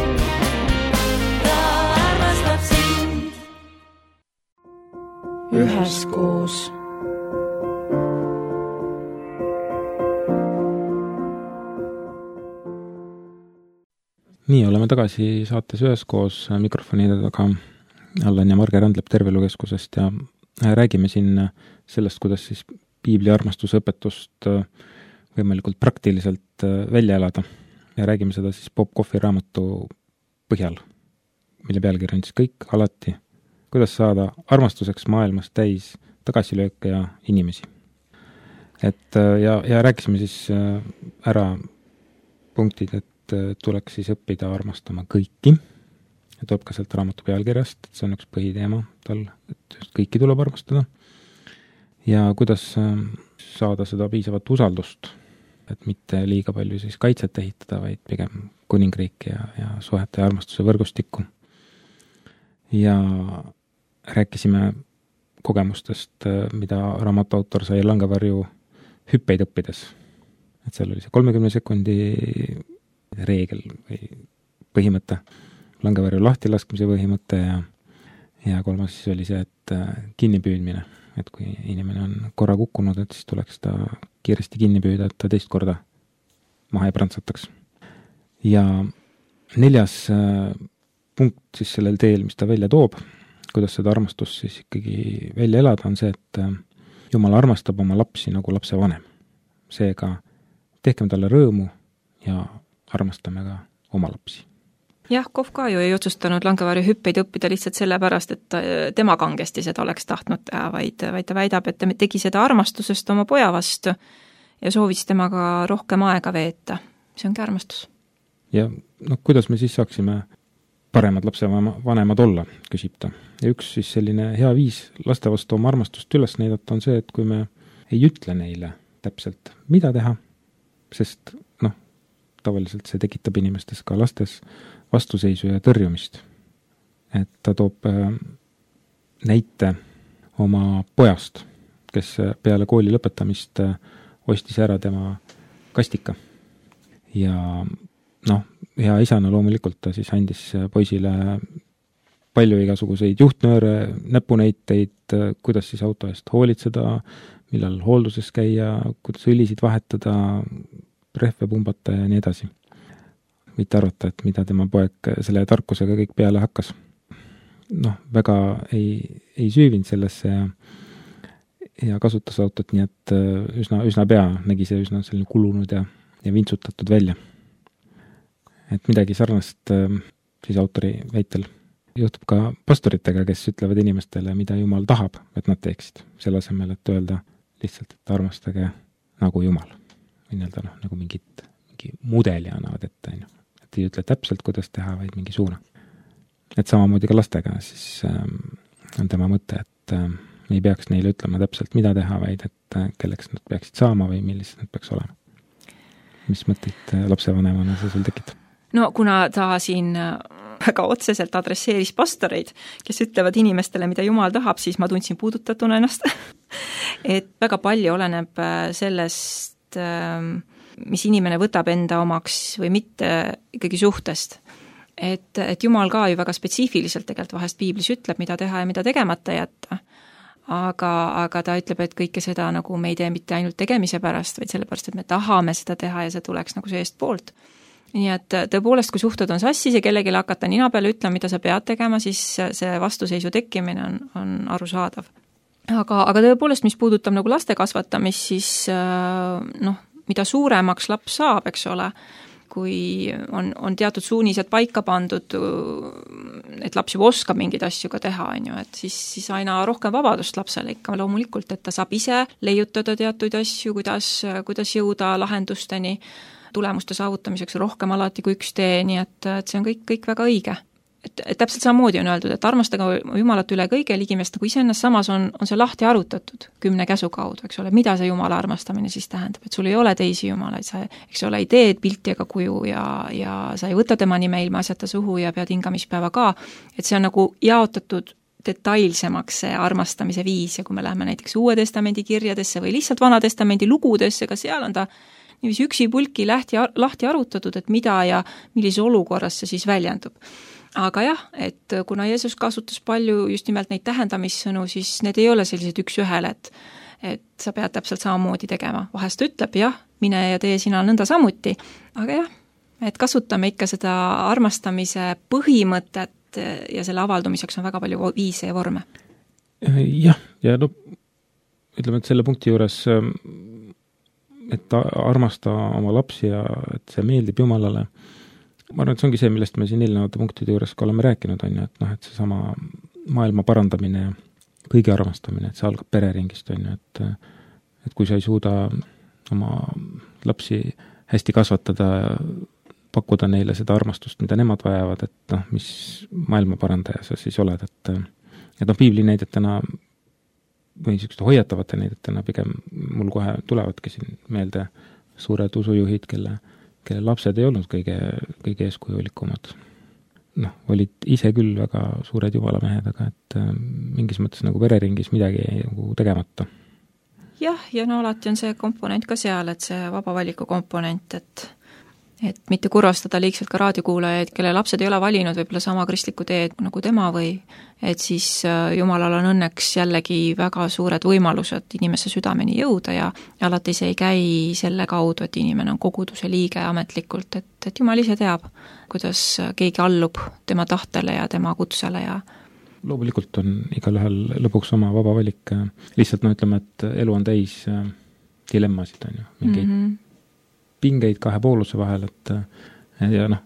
Speaker 6: Ta armastab sind.
Speaker 1: üheskoos.
Speaker 4: nii, oleme tagasi saates üheskoos mikrofonide taga. Allan ja Marge Randlep Tervelukeskusest ja räägime siin sellest, kuidas siis piibli armastuse õpetust võimalikult praktiliselt välja elada. Ja räägime seda siis Bob Coffey raamatu põhjal, mille pealkiri on siis kõik alati, kuidas saada armastuseks maailmas täis tagasilööke ja inimesi. Et ja, ja rääkisime siis ära punktid, et tuleks siis õppida armastama kõiki. Ja tuleb ka sealt raamatu pealkirjast, et see on üks põhiteema tal, et just kõiki tuleb armastada. Ja kuidas saada seda piisavat usaldust, et mitte liiga palju siis kaitset ehitada, vaid pigem kuningriiki ja, ja suhete ja armastuse võrgustikku. Ja rääkisime kogemustest, mida raamatu autor sai langevarju hüppeid õppides. Et seal oli see kolmekümne sekundi reegel või põhimõte, langevarju lahtilaskmise põhimõte ja, ja kolmas siis oli see, et kinnipüüdmine, et kui inimene on korra kukkunud, et siis tuleks ta kiiresti kinni püüda, et ta teist korda maha ei prantsataks. Ja neljas punkt siis sellel teel, mis ta välja toob, kuidas seda armastust siis ikkagi välja elada, on see, et Jumal armastab oma lapsi nagu lapse vanem. Seega tehkem talle rõõmu ja armastame ka oma lapsi.
Speaker 5: Jah, Kohv ka ju ei otsustanud langevarju hüppeid õppida lihtsalt sellepärast, et tema kangesti seda oleks tahtnud teha, vaid, vaid ta väidab, et ta tegi seda armastusest oma poja vastu ja soovis temaga rohkem aega veeta. See ongi armastus.
Speaker 4: Ja no, kuidas me siis saaksime paremad lapsevanemad olla, küsib ta. Ja üks siis selline hea viis laste vastu oma armastust üles näidata on see, et kui me ei ütle neile täpselt, mida teha, sest noh, tavaliselt see tekitab inimestes ka lastes vastuseisu ja tõrjumist. Et ta toob näite oma pojast, kes peale kooli lõpetamist ostis ära tema kastika. Ja noh, hea isana loomulikult ta siis andis poisile palju igasuguseid juhtnööre, näpunäiteid, kuidas siis auto eest hoolitseda, millal hoolduses käia, kuidas õlisid vahetada, rehve pumbata ja nii edasi. Mitte arvata, et mida tema poeg selle tarkusega kõik peale hakkas. Noh, väga ei, ei süüvinud sellesse ja, ja kasutas autot, nii et üsna, üsna pea nägi see üsna selline kulunud ja, ja vintsutatud välja. Et midagi sarnast siis autori väitel juhtub ka pastoritega, kes ütlevad inimestele, mida Jumal tahab, et nad teeksid. Selle asemel, et öelda lihtsalt, et armastage nagu Jumal. Või nii-öelda noh, nagu mingit, mingi mudeli annavad ette. Et ei ütle täpselt, kuidas teha, vaid mingi suuna. Et samamoodi ka lastega siis ähm, on tema mõte, et ähm, ei peaks neile ütlema täpselt, mida teha, vaid et äh, kelleks nad peaksid saama või millised nad peaks olema. Mis mõtteid äh, lapsevanemana see sul tekitab?
Speaker 5: No kuna ta siin väga otseselt adresseeris pastoreid, kes ütlevad inimestele, mida Jumal tahab, siis ma tundsin puudutatuna ennast et väga palju oleneb sellest, mis inimene võtab enda omaks või mitte ikkagi suhtest. Et, et Jumal ka ju väga spetsiifiliselt tegelikult vahest piiblis ütleb, mida teha ja mida tegemata jätta. Aga, aga ta ütleb, et kõike seda nagu me ei tee mitte ainult tegemise pärast, vaid sellepärast, et me tahame seda teha ja see tuleks nagu seest poolt. Nii et tõepoolest, kui suhted on sassis ja kellelegi hakata nina peale ütlema, mida sa pead tegema, siis see vastuseisu tekkimine on, on arusaadav. Aga, aga tõepoolest, mis puudutab nagu laste kasvatamist, siis noh, mida suuremaks laps saab, eks ole, kui on, on teatud suunised paika pandud, et laps juba oskab mingeid asju ka teha, on ju, et siis, siis aina rohkem vabadust lapsele ikka loomulikult, et ta saab ise leiutada teatuid asju, kuidas, kuidas jõuda lahendusteni, tulemuste saavutamiseks rohkem alati kui üks tee, nii et, et see on kõik, kõik väga õige. Et, et täpselt samamoodi on öeldud, et armastage Jumalat üle kõige ligimest nagu iseennast, samas on, on see lahti arutatud kümne käsu kaudu, eks ole, mida see Jumala armastamine siis tähendab, et sul ei ole teisi Jumalaid, sa, eks ole, ei tee pilti ega kuju ja, ja sa ei võta tema nime ilma asjata suhu ja pead hingamispäeva ka, et see on nagu jaotatud detailsemaks see armastamise viis ja kui me läheme näiteks Uue Testamendi kirjadesse või lihtsalt Vana Testamendi lugudesse, ka seal on ta niiviisi üksi pulki lahti, lahti arutatud, et mida ja millises olukorras see siis väljendub. Aga jah, et kuna Jeesus kasutas palju just nimelt neid tähendamissõnu, siis need ei ole sellised üks ühel, et, et sa pead täpselt samamoodi tegema. Vahest ütleb, jah, mine ja tee sina nõnda samuti, aga jah, et kasutame ikka seda armastamise põhimõtet ja selle avaldumiseks on väga palju viise ja vorme.
Speaker 4: Jah, ja no ütleme, et selle punkti juures, et armasta oma lapsi ja et see meeldib Jumalale, ma arvan, et see ongi see, millest me siin eelnevate punktide juures ka oleme rääkinud, on ju, et noh, et see sama maailma parandamine ja kõigi armastamine, et see algab pereringist, on ju, et et kui sa ei suuda oma lapsi hästi kasvatada ja pakkuda neile seda armastust, mida nemad vajavad, et noh, mis maailma parandaja sa siis oled, et et noh, piibli näidetena või niisugust hoiatavate näidetena pigem mul kohe tulevadki siin meelde suured usujuhid, kelle kelle lapsed ei olnud kõige, kõige eeskujulikumad. Noh, olid ise küll väga suured jumalamehed, aga et mingis mõttes nagu vereringis midagi nagu tegemata.
Speaker 5: Jah, ja no alati on see komponent ka seal, et see vaba valiku komponent, et et mitte kurvastada liigselt ka raadiokuulajaid, kelle lapsed ei ole valinud võib-olla sama kristlikku teed nagu tema või et siis Jumalal on õnneks jällegi väga suured võimalused inimese südameni jõuda ja, ja alati see ei käi selle kaudu, et inimene on koguduse liige ametlikult, et, et Jumal ise teab, kuidas keegi allub tema tahtele ja tema kutsele ja
Speaker 4: loomulikult on igalühel lõpuks oma vaba valik, lihtsalt no ütleme, et elu on täis dilemmasid, on ju, mingeid mm -hmm. pingeid kahe pooluse vahel, et ja noh,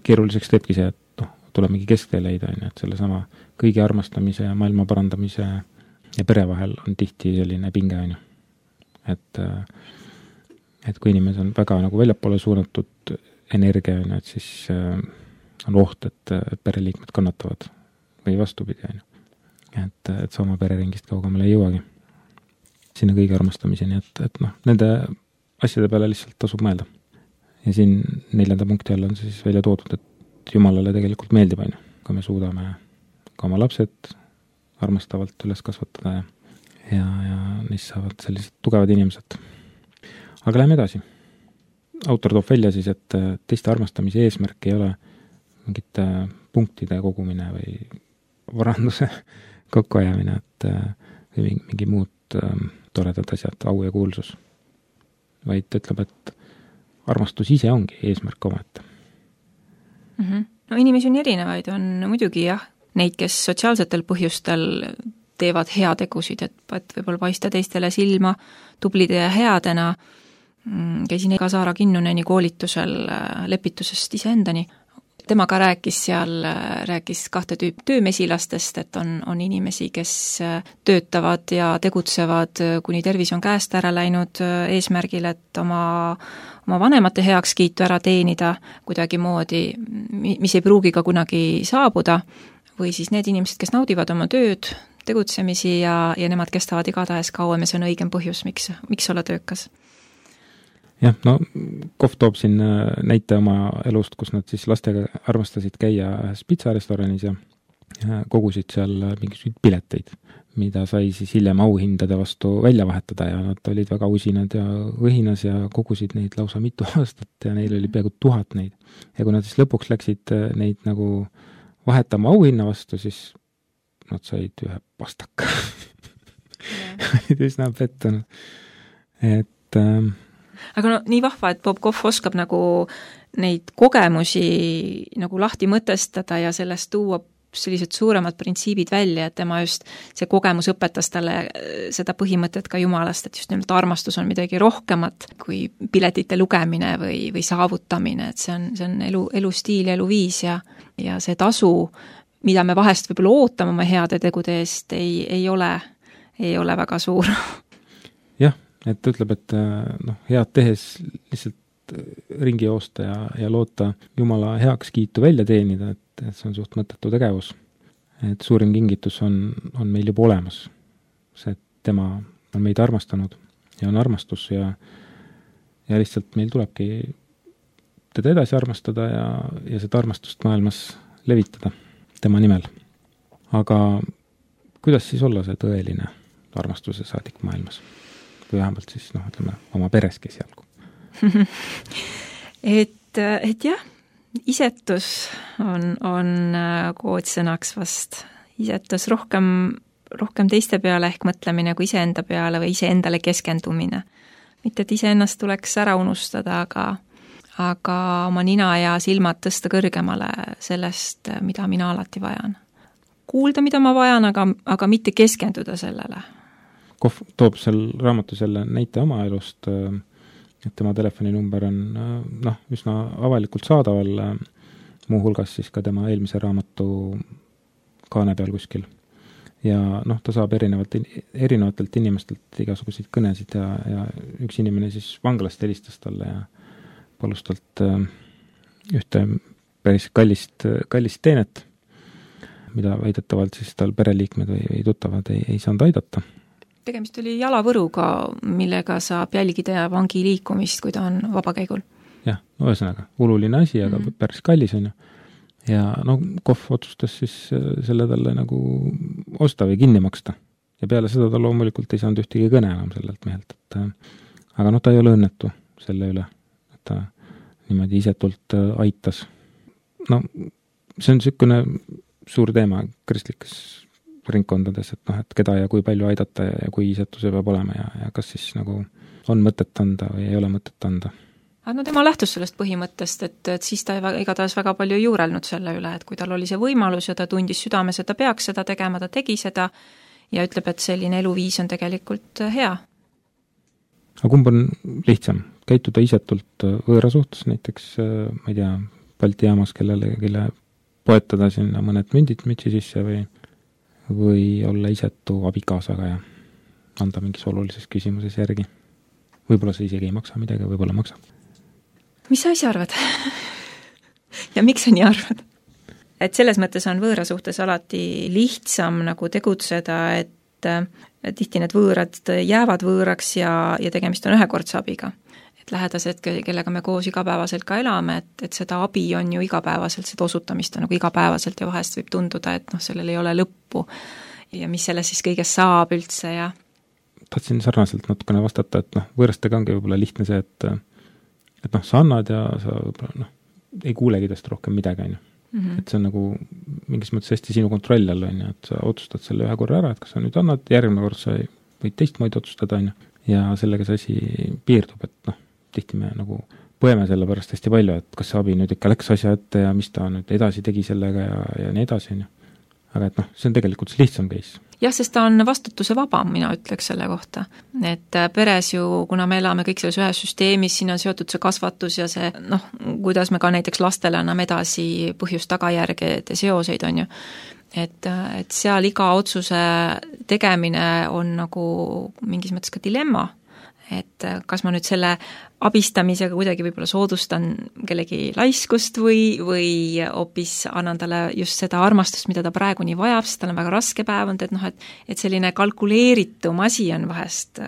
Speaker 4: keeruliseks teebki see, et noh, tuleb mingi kesktee leida, on ju, et selle sama kõigi armastamise ja maailma parandamise ja pere vahel on tihti selline pinge, on ju. Et, et kui inimesed on väga nagu väljapoole suunatud energia, on ju, et siis on oht, et pereliikmed kannatavad või vastupidi, on ju. Et, et see oma pereringist kaugemale ei jõuagi sinna kõigi armastamiseni, et, et noh, nende asjade peale lihtsalt tasub mõelda. Ja siin neljanda punkti all on see siis välja toodud, et Jumalale tegelikult meeldib, on ju, kui me suudame ka oma lapsed armastavalt üles kasvatada ja, ja, ja neist saavad sellised tugevad inimesed. Aga läheme edasi. Autor toob välja siis, et teiste armastamise eesmärk ei ole mingite punktide kogumine või varanduse kokkuajamine, et või mingi muud toredad asjad, au ja kuulsus. Vaid ütleb, et armastus ise ongi eesmärk omete.
Speaker 5: Mm-hmm. No inimesi on erinevaid, on muidugi jah, neid, kes sotsiaalsetel põhjustel teevad heategusid, et, et võib-olla paista teistele silma tublide ja headena. Käisin ka Saara Kinnuneni koolitusel lepitusest iseendani. Tema ka rääkis seal, rääkis kahte tüüp töömesilastest, et on, on inimesi, kes töötavad ja tegutsevad, kuni tervis on käest ära läinud eesmärgil, et oma, oma vanemate heakskiitu ära teenida kuidagi moodi, mis ei pruugi ka kunagi saabuda, või siis need inimesed, kes naudivad oma tööd, tegutsemisi ja, ja nemad kestavad igatahes kauem ja see on õigem põhjus, miks, miks olla töökas.
Speaker 4: jah, no Kohv toob siin näite oma elust, kus nad siis lastega armastasid käia ühes pitsarestoranis ja kogusid seal mingisuguseid pileteid, mida sai siis hiljem auhindade vastu välja vahetada ja nad olid väga usinad ja õhinas ja kogusid neid lausa mitu aastat ja neil oli peaaegu tuhat neid. Ja kui nad siis lõpuks läksid neid nagu vahetama auhinna vastu, siis nad said ühe pastaka. üsna pettunud. Et ähm,
Speaker 5: aga no nii vahva, et Bob Kohv oskab nagu neid kogemusi nagu lahti mõtestada ja sellest tuua sellised suuremad printsiibid välja, et tema just see kogemus õpetas talle seda põhimõtet ka Jumalast, et just nimelt armastus on midagi rohkemat kui piletite lugemine või, või saavutamine, et see on, see on elu, elustiil ja eluviis ja, ja see tasu, mida me vahest võib-olla ootame oma heade tegude eest, ei, ei ole, ei ole väga suur.
Speaker 4: Jah, et ta ütleb, et noh, head tehes lihtsalt ringi joosta ja, ja loota Jumala heaks kiitu välja teenida, et, et see on suht mõttetu tegevus. Et suurim kingitus on, on meil juba olemas. See, et tema on meid armastanud ja on armastus ja, ja lihtsalt meil tulebki teda edasi armastada ja, ja seda armastust maailmas levitada tema nimel. Aga kuidas siis olla see tõeline armastuse saadik maailmas? Või vähemalt siis, noh, ütleme, oma pereski esialgu.
Speaker 5: et, et jah, isetus on, on koodsõnaks vast. Isetus rohkem, rohkem teiste peale ehk mõtlemine kui iseenda peale või iseendale keskendumine. Mitte, et iseennast tuleks ära unustada, aga, aga oma nina ja silmad tõsta kõrgemale sellest, mida mina alati vajan. Kuulda, mida ma vajan, aga, aga mitte keskenduda sellele.
Speaker 4: Kohv toob seal raamatu selle näite oma elust, et tema telefoninumber on noh, üsna avalikult saadaval, muuhulgas siis ka tema eelmise raamatu kaane peal kuskil. Ja noh, ta saab erinevalt, erinevatelt inimestelt igasuguseid kõnesid ja, ja üks inimene siis vanglast helistas talle ja palus talt ühte päris kallist, kallist teenet, mida väidetavalt siis tal pereliikmed või, või tuttavad ei, ei saanud aidata.
Speaker 5: Tegemist oli jalavõruga, millega saab jälgida vangi liikumist, kui ta on vabakäigul.
Speaker 4: Jah, no ühesõnaga, oluline asi, aga mm-hmm. päris kallis on ju. Ja no Kohv otsustas siis selle talle nagu osta või kinni maksta. Ja peale seda ta loomulikult ei saanud ühtegi kõne enam sellelt mehelt. Et, aga noh, ta ei ole õnnetu selle üle, et ta niimoodi isetult aitas. No see on niisugune suur teema kristlikes ringkondades, et noh, et keda ja kui palju aidata ja, ja kui isetuse peab olema ja, ja kas siis nagu on mõtet anda või ei ole mõtet anda.
Speaker 5: Aga no tema lähtus sellest põhimõttest, et, et siis ta igatahes väga palju juurelnud selle üle, et kui tal oli see võimalus ja ta tundis südames, et ta peaks seda tegema, ta tegi seda ja ütleb, et selline eluviis on tegelikult hea.
Speaker 4: Aga kumb on lihtsam? Käituda isetult võõra suhtes, näiteks, ma ei tea, Balti jaamas, kellele, kelle poetada sinna mõned mündid mütsi sisse või või olla isetu abikaasaga ja anda mingis olulises küsimuses järgi. Võib-olla see isegi ei maksa midagi, võib-olla maksab.
Speaker 5: Mis sa ise arvad? ja miks sa nii arvad? Et selles mõttes on võõra suhtes alati lihtsam nagu tegutseda, et, et tihti need võõrad jäävad võõraks ja, ja tegemist on ühekordse abiga. Et lähedased, kellega me koos igapäevaselt ka elame, et, et seda abi on ju igapäevaselt, seda osutamist on nagu igapäevaselt ja vahest võib tunduda, et noh, sellel ei ole lõppu ja mis sellest siis kõigest saab üldse ja
Speaker 4: tahtsin sarnaselt natukene vastata, et noh, võõrastega ongi võib-olla lihtne see, et et noh, sa annad ja sa võib-olla noh, ei kuulegi tast rohkem midagi, on ju. Mm-hmm. Et see on nagu mingis mõttes hästi sinu kontroll all, on ju, et sa otsustad selle ühe korra ära, et kas sa nüüd annad, järgmine kord sa võid teistmoodi otsustada, on ju, ja sellega see asi piirdub, et noh, tihti me nagu põeme selle pärast hästi palju, et kas see abi nüüd ikka läks asja ette ja mis ta nüüd edasi tegi sellega ja, ja nii edasi, on ju. Aga et noh, see on tegelikult see lihtsam case.
Speaker 5: Jah, sest ta on vastutuse vabam, mina ütleks selle kohta. Et peres ju, kuna me elame kõik selles ühes süsteemis, siin on seotud see kasvatus ja see, noh, kuidas me ka näiteks lastele anname edasi põhjust-tagajärgede seoseid, on ju. Et, et seal iga otsuse tegemine on nagu mingis mõttes ka dilemma. et kas ma nüüd selle abistamisega kuidagi võib-olla soodustan kellegi laiskust või, või hoopis annan talle just seda armastust, mida ta praegu nii vajab, sest tal on väga raske päev olnud, et noh, et, et selline kalkuleeritum asi on vahest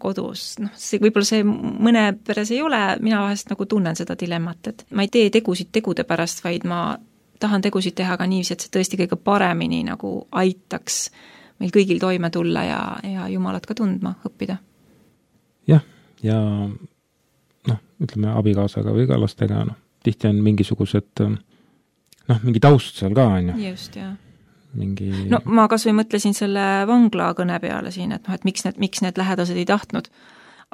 Speaker 5: kodus, noh, see, võib-olla see mõne peres ei ole, mina vahest nagu tunnen seda dilemmat, et ma ei tee tegusid tegude pärast, vaid ma tahan tegusid teha ka niiviisi, et see tõesti kõige paremini nagu aitaks meil kõigil toime tulla ja, ja Jumalat ka tundma õppida.
Speaker 4: Jah, ja noh, ütleme abikaasaga või ka lastega, noh, tihti on mingisugused noh, mingi taust seal ka, on ju.
Speaker 5: Just, jah.
Speaker 4: Mingi...
Speaker 5: No ma kas või mõtlesin selle vangla kõne peale siin, et noh, et miks need, miks need lähedased ei tahtnud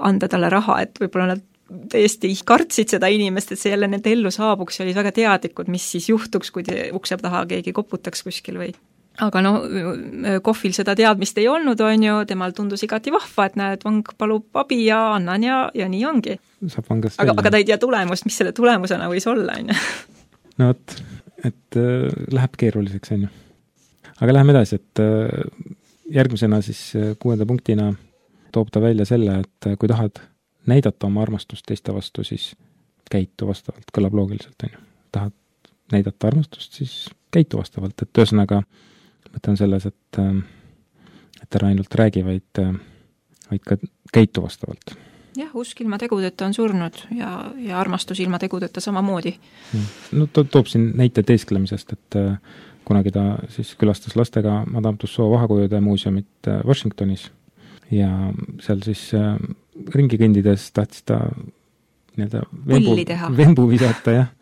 Speaker 5: anda talle raha, et võib-olla nad täiesti kartsid seda inimest, et see jälle nende ellu saabuks ja olid väga teadlikud, mis siis juhtuks, kui ukse taha keegi koputaks kuskil või aga no kohvil seda teadmist ei olnud, on ju, temal tundus igati vahva, et näed, vang palub abi ja annan ja, ja nii ongi. Aga, aga ta ei tea tulemust, mis selle tulemusena võis olla, on ju.
Speaker 4: No vot, et äh, läheb keeruliseks, on ju. Aga läheme edasi, et äh, järgmisena siis kuuenda punktina toob ta välja selle, et kui tahad näidata oma armastust teiste vastu, siis käitu vastavalt, kõlab loogiliselt, on ju. Tahad näidata armastust, siis käitu vastavalt, et ühesõnaga mõte on selles, et, et ära ainult räägi, vaid, vaid ka käitu vastavalt.
Speaker 5: Jah, usk ilma tegudeta on surnud ja, ja armastus ilma tegudeta samamoodi.
Speaker 4: No to, toob siin näite teesklemisest, et kunagi ta siis külastas lastega Madame Tussauds vahakujude muuseumit Washingtonis ja seal siis ringi kõndides tahtis ta nii-öelda vembu, vembu visata, jah,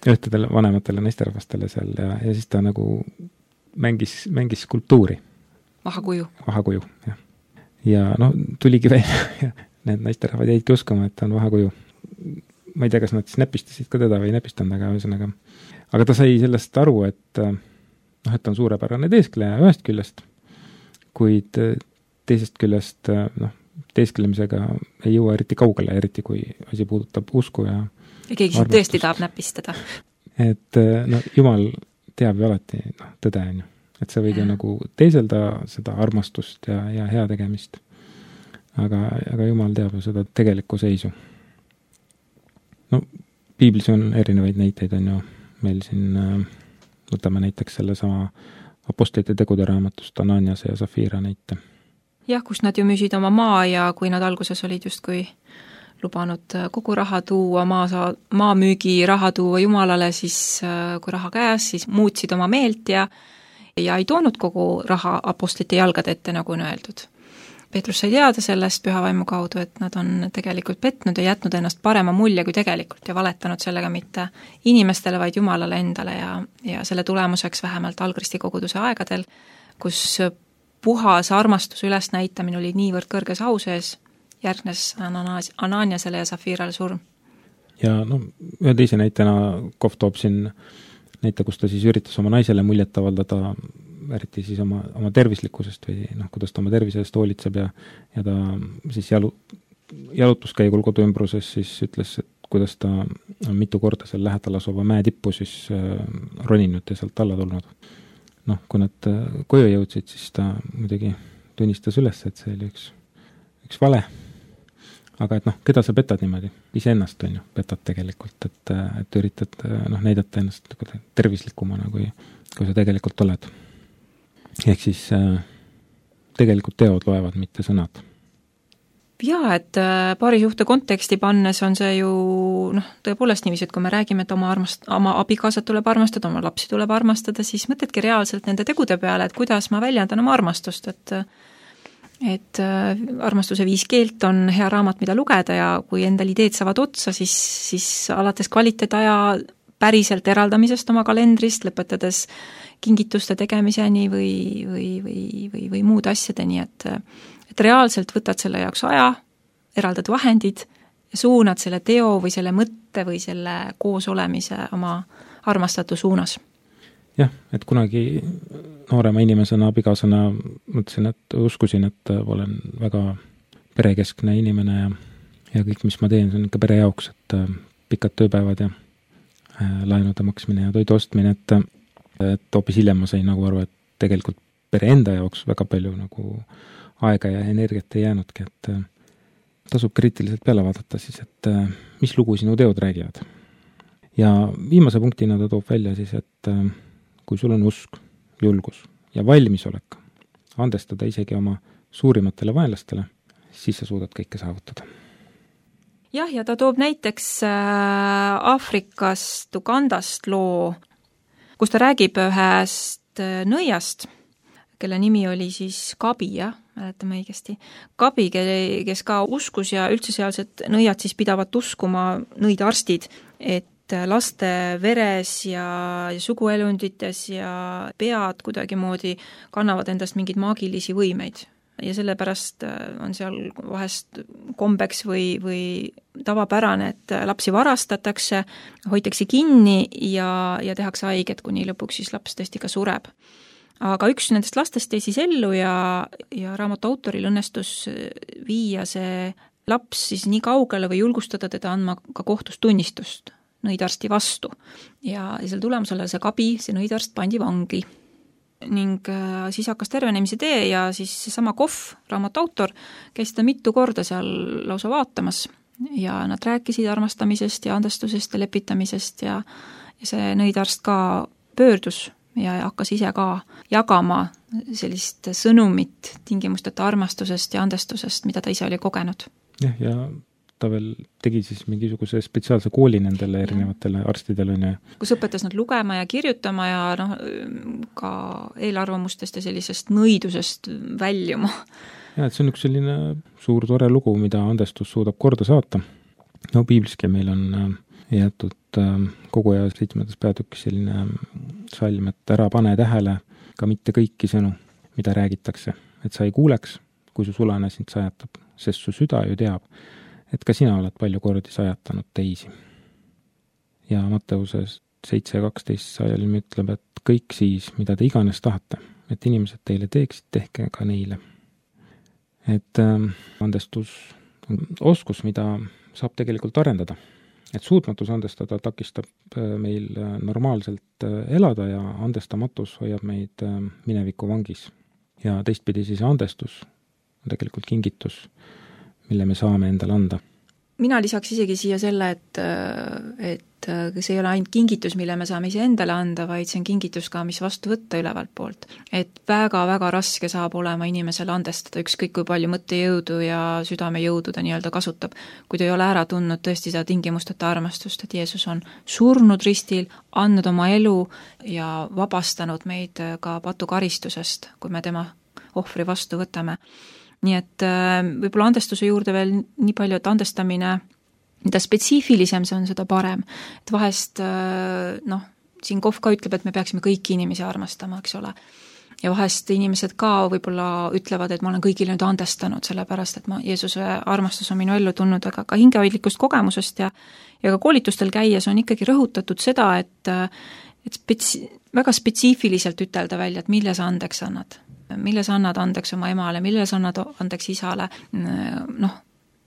Speaker 4: ühtedele vanematele naisterahvastele seal ja, ja siis ta nagu mängis, mängis skulptuuri.
Speaker 5: Vahakuju.
Speaker 4: Vahakuju, jah. Ja no tuligi välja ja need naisterahvad jäidki uskuma, et ta on vahakuju. Ma ei tea, kas nad siis näpistasid ka teda või ei näpistanud, aga ühesõnaga. Aga ta sai sellest aru, et noh, et ta on suurepärane teeskleja ühest küljest, kuid teisest küljest noh, teesklemisega ei jõua eriti kaugele, eriti kui asi puudutab usku ja
Speaker 5: ja keegi siin tõesti tahab näpistada.
Speaker 4: Et no, Jumal teab ju alati no, tõde, on ju. Et sa võid ju nagu teiselda seda armastust ja, ja hea tegemist. Aga, aga Jumal teab ju seda tegelikku seisu. No, piiblis on erinevaid näiteid, on ju. Meil siin võtame näiteks selle sama apostlite tegude raamatust Ananiase ja Safira näite.
Speaker 5: Jah, kus nad ju müüsid oma maa ja kui nad alguses olid just kui lubanud kogu raha tuua, maa, saa, maa müügi raha tuua Jumalale, siis kui raha käes, siis muutsid oma meelt ja, ja ei toonud kogu raha apostlite jalgade ette, nagu on öeldud. Peetrus sai teada sellest pühavaimu kaudu, et nad on tegelikult petnud ja jätnud ennast parema mulje kui tegelikult ja valetanud sellega mitte inimestele, vaid Jumalale endale ja, ja selle tulemuseks vähemalt algristi koguduse aegadel, kus puhas armastuse ülesnäitamine oli niivõrd kõrges au sees, järgnes Ananiasele ja Safirale surm.
Speaker 4: Ja no, ühe teise näitena Kohv toob siin näite, kus ta siis üritas oma naisele muljet avaldada, eriti siis oma, oma tervislikkusest või noh, kuidas ta oma tervise eest hoolitseb ja, ja ta siis jalu, jalutuskäigul koduümbruses siis ütles, et kuidas ta on mitu korda seal lähedal asuva mäe tippu siis äh, roninud ja sealt alla tulnud. Noh, kui nad äh, koju jõudsid, siis ta muidugi tunnistas üles, et see oli üks, üks vale. Aga et noh, keda sa petad niimoodi? Ise ennast on ju, petad tegelikult, et, et üritad noh, näidata ennast tervislikumana, kui, kui sa tegelikult oled. Ehk siis äh, tegelikult teod loevad, mitte sõnad.
Speaker 5: Jaa, et paarisuhte konteksti pannes on see ju noh, tõepoolest niiviisi, et kui me räägime, et oma, armast, oma abikaasat tuleb armastada, oma lapsi tuleb armastada, siis mõtledki reaalselt nende tegude peale, et kuidas ma väljendan oma armastust, et et armastuse viis keelt on hea raamat, mida lugeda ja kui endal ideed saavad otsa, siis, siis alates kvaliteetaja päriselt eraldamisest oma kalendrist, lõpetades kingituste tegemiseni või, või, või, või, või muud asjadeni, et, et reaalselt võtad selle jaoks aja, eraldad vahendid ja suunad selle teo või selle mõtte või selle koos olemise oma armastatu suunas.
Speaker 4: Jah, et kunagi noorema inimesena, abikaasana mõtlesin, et uskusin, et olen väga perekeskne inimene ja, ja kõik, mis ma teen, see on ikka pere jaoks, et pikad tööpäevad ja laenude maksmine ja toidu ostmine, et, et hoopis hiljem ma sain nagu aru, et tegelikult pere enda jaoks väga palju nagu aega ja energiat ei jäänudki, et tasub kriitiliselt peale vaadata siis, et mis lugu sinu teod räägivad. Ja viimase punktina ta toob välja siis, et kui sul on usk, julgus ja valmisolek andestada isegi oma suurimatele vaenlastele, siis sa suudad kõike saavutada.
Speaker 5: Jah, ja ta toob näiteks Aafrikast, Ugandast loo, kus ta räägib ühest nõiast, kelle nimi oli siis Kabi, jah, mäletame õigesti. Kabi, kes ka uskus ja üldse sealsed nõiad siis pidavat uskuma, nõid arstid, et laste veres ja, ja suguelundites ja pead kuidagi moodi kannavad endast mingeid maagilisi võimeid. Ja sellepärast on seal vahest kombeks või, või tavapärane, et lapsi varastatakse, hoitakse kinni ja, ja tehakse haiget, kuni lõpuks siis laps tõesti ka sureb. Aga üks nendest lastest jäi siis ellu ja, ja raamatu autoril õnnestus viia see laps siis nii kaugele või julgustada teda andma ka kohtus tunnistust nõidarsti vastu. Ja, ja selle tulemusele see Kabi, see nõidarst pandi vangi. Ning äh, siis hakkas tervenemise tee ja siis sama Kohv, raamatu autor, käis seda mitu korda seal lausa vaatamas ja nad rääkisid armastamisest ja andestusest ja lepitamisest ja, ja see nõidarst ka pöördus ja hakkas ise ka jagama sellist sõnumit tingimusteta armastusest ja andestusest, mida ta ise oli kogenud.
Speaker 4: Jah, ja ta veel tegi siis mingisuguse spetsiaalse kooli nendele erinevatele arstidele.
Speaker 5: Kus õpetas nad lugema ja kirjutama ja noh, ka eelarvamustest ja sellisest nõidusest väljuma.
Speaker 4: Ja, et see on üks selline suur tore lugu, mida andestus suudab korda saata. No piibliski meil on jäetud kogu aja seitsmendas peatükis selline salm, et ära pane tähele ka mitte kõiki sõnu, mida räägitakse, et sa ei kuuleks, kui su sulane sind sajatab, sest su süda ju teab, et ka sina oled palju kordi sajatanud teisi. Ja Matteuses seitse kaksteist sajalim ütleb, et kõik siis, mida te iganes tahate, et inimesed teile teeksid, tehke ka neile. Et äh, andestus on oskus, mida saab tegelikult arendada. Et suutmatus andestada takistab meil normaalselt elada ja andestamatus hoiab meid mineviku vangis. Ja teistpidi siis andestus on tegelikult kingitus, mille me saame endale anda.
Speaker 5: Mina lisaks isegi siia selle, et, et see ei ole ainult kingitus, mille me saame ise endale anda, vaid see on kingitus ka, mis vastu võtta ülevalt poolt. Et väga-väga raske saab olema inimesele andestada, ükskõik kui palju mõttejõudu ja südamejõudu ta nii-öelda kasutab, kui ta ei ole ära tundnud tõesti seda tingimusteta armastust, et Jeesus on surnud ristil, andnud oma elu ja vabastanud meid ka patukaristusest, kui me tema ohvri vastu võtame. Nii et võib-olla andestuse juurde veel nii palju, et andestamine, mida spetsiifilisem see on, seda parem. Et vahest, noh, siin Kohv ka ütleb, et me peaksime kõiki inimesi armastama, eks ole. Ja vahest inimesed ka võib-olla ütlevad, et ma olen kõigile nüüd andestanud, sellepärast, et ma, Jeesuse armastus on minu ellu tulnud, aga ka hingehoidlikust kogemusest ja, ja ka koolitustel käies on ikkagi rõhutatud seda, et, et spetsi, väga spetsiifiliselt ütelda välja, et mille sa andeks annad. Mille sa annad andeks oma emale, mille sa annad andeks isale, noh,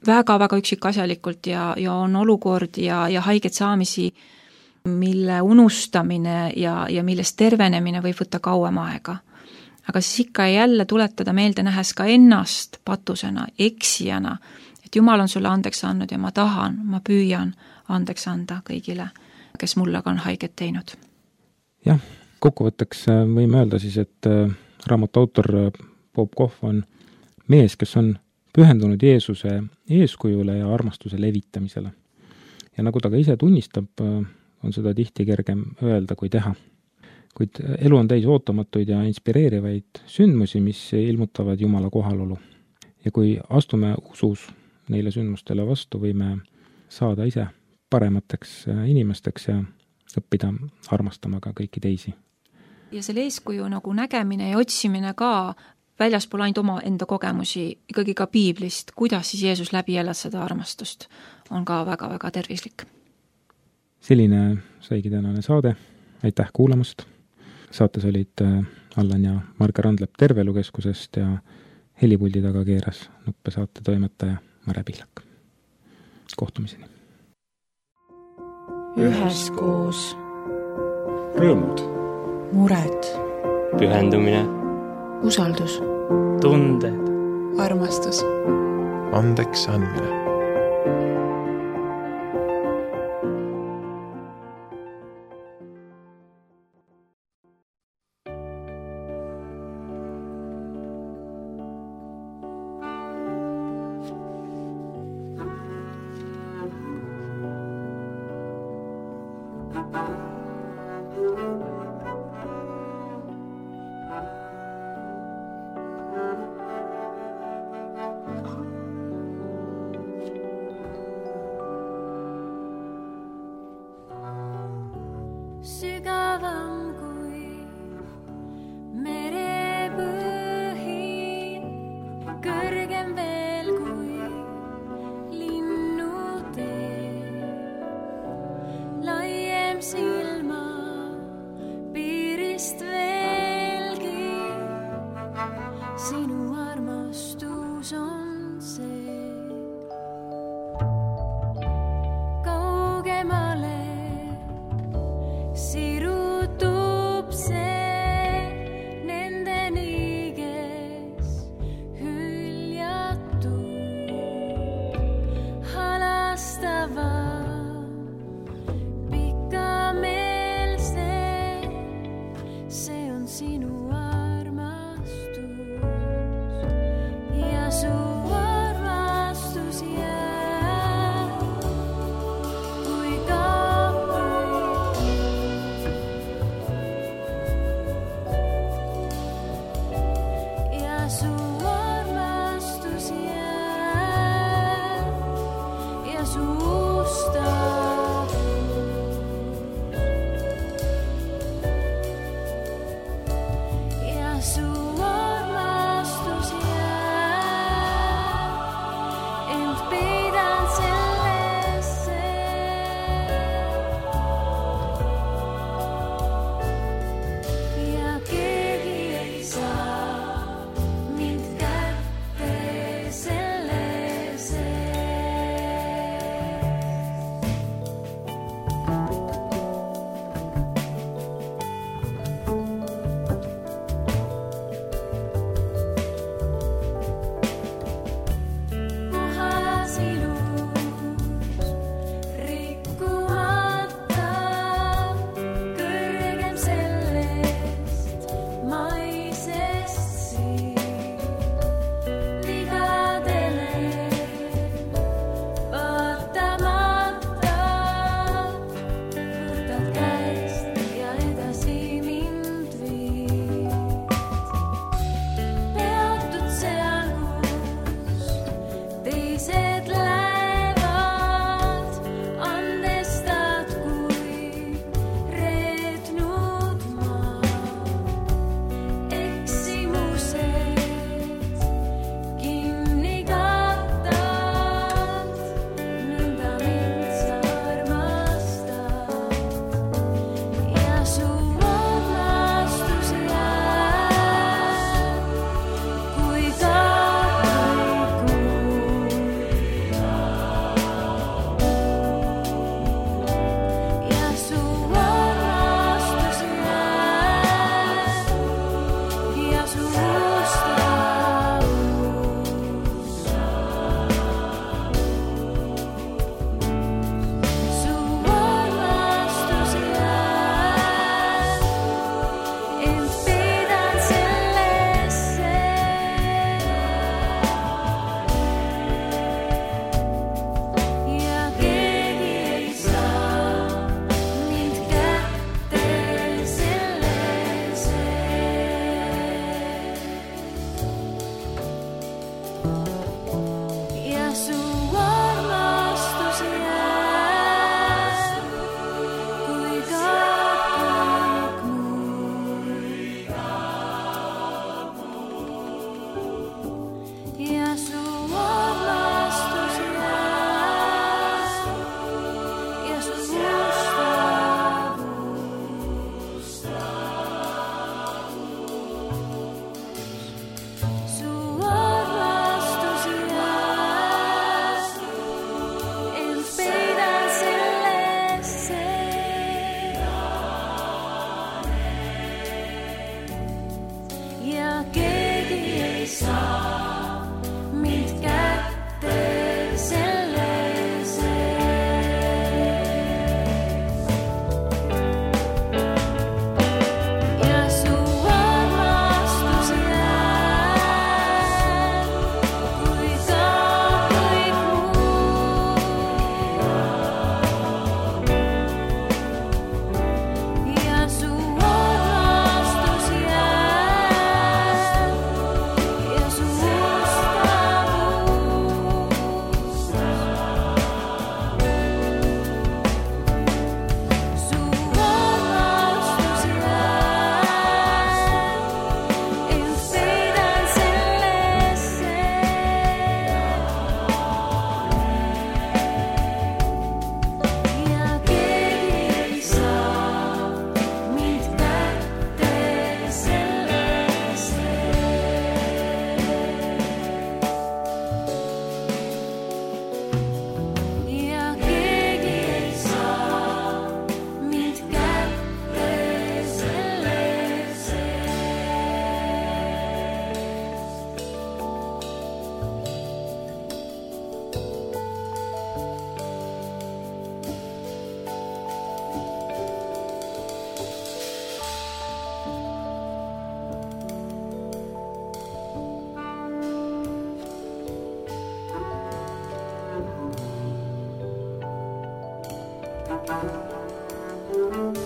Speaker 5: väga-väga üksikasjalikult ja, ja on olukord ja, ja haiget saamisi, mille unustamine ja, ja millest tervenemine võib võtta kauem aega. Aga siis ikka jälle tuletada meelde nähes ka ennast patusena, eksijana, et Jumal on sulle andeks andnud ja ma tahan, ma püüan andeks anda kõigile, kes mulle ka on haiget teinud.
Speaker 4: Jah, kokkuvõtteks võime öelda siis, et raamatu autor Bob Kohv on mees, kes on pühendunud Jeesuse eeskujule ja armastuse levitamisele. Ja nagu ta ka ise tunnistab, on seda tihti kergem öelda kui teha. Kuid elu on täis ootamatuid ja inspireerivaid sündmusi, mis ilmutavad Jumala kohalolu. Ja kui astume usus neile sündmustele vastu, võime saada ise paremateks inimesteks ja õppida armastama ka kõiki teisi.
Speaker 5: Ja selle eeskuju nagu nägemine ja otsimine ka väljaspool ainult oma enda kogemusi, ikkagi ka piiblist, kuidas siis Jeesus läbi elas seda armastust, on ka väga-väga tervislik.
Speaker 4: Selline saigi tänane saade. Aitäh kuulamast. Saates olid Allan ja Marge Randlep Tervelukeskusest ja helipuldi taga keeras nuppesaate toimetaja Mare Pihlak. Kohtumiseni.
Speaker 1: Üheskoos.
Speaker 2: Rõõmud.
Speaker 1: Mured.
Speaker 3: Pühendumine.
Speaker 1: Usaldus.
Speaker 3: Tunded.
Speaker 1: Armastus.
Speaker 7: andeks andmine.
Speaker 6: Sügavam kui merepõhi, kõrgem veel kui linnutee, laiem silma piirist veelgi, sinu armastus on see. Kaugemale sirutub see nendeni, kes hüljatud, halastava, pikameelse, see on sinu armastus ja su armastus jääb kui kaapri. Ja su armastus jääb ja su ustavus ja su armastus jääb, ent peidan sellesse ja keegi ei saa mind kätte sellesse. Puhas ilus, rikkumata, kõrgem sellest maisest siin, vigadele vaatamata, võtad käest ja edasi mind viid. Peatud seal, kus teised lähevad, andestad kui reetnud maa. Eksimused kinni kattad, nõnda mind sa armastad ja su armastus jääb kui kaapri ja su armastus jääb ja su ustavus su armastus jääb, ent peidan sellesse ja keegi ei saa mind kätte sellesse. Ja su armastus jääb kui kaaprik mul ja su armastus jääb ja su ustavus su armastus jääb, ent peidan sellesse ja keegi ei saa mind kätte tund.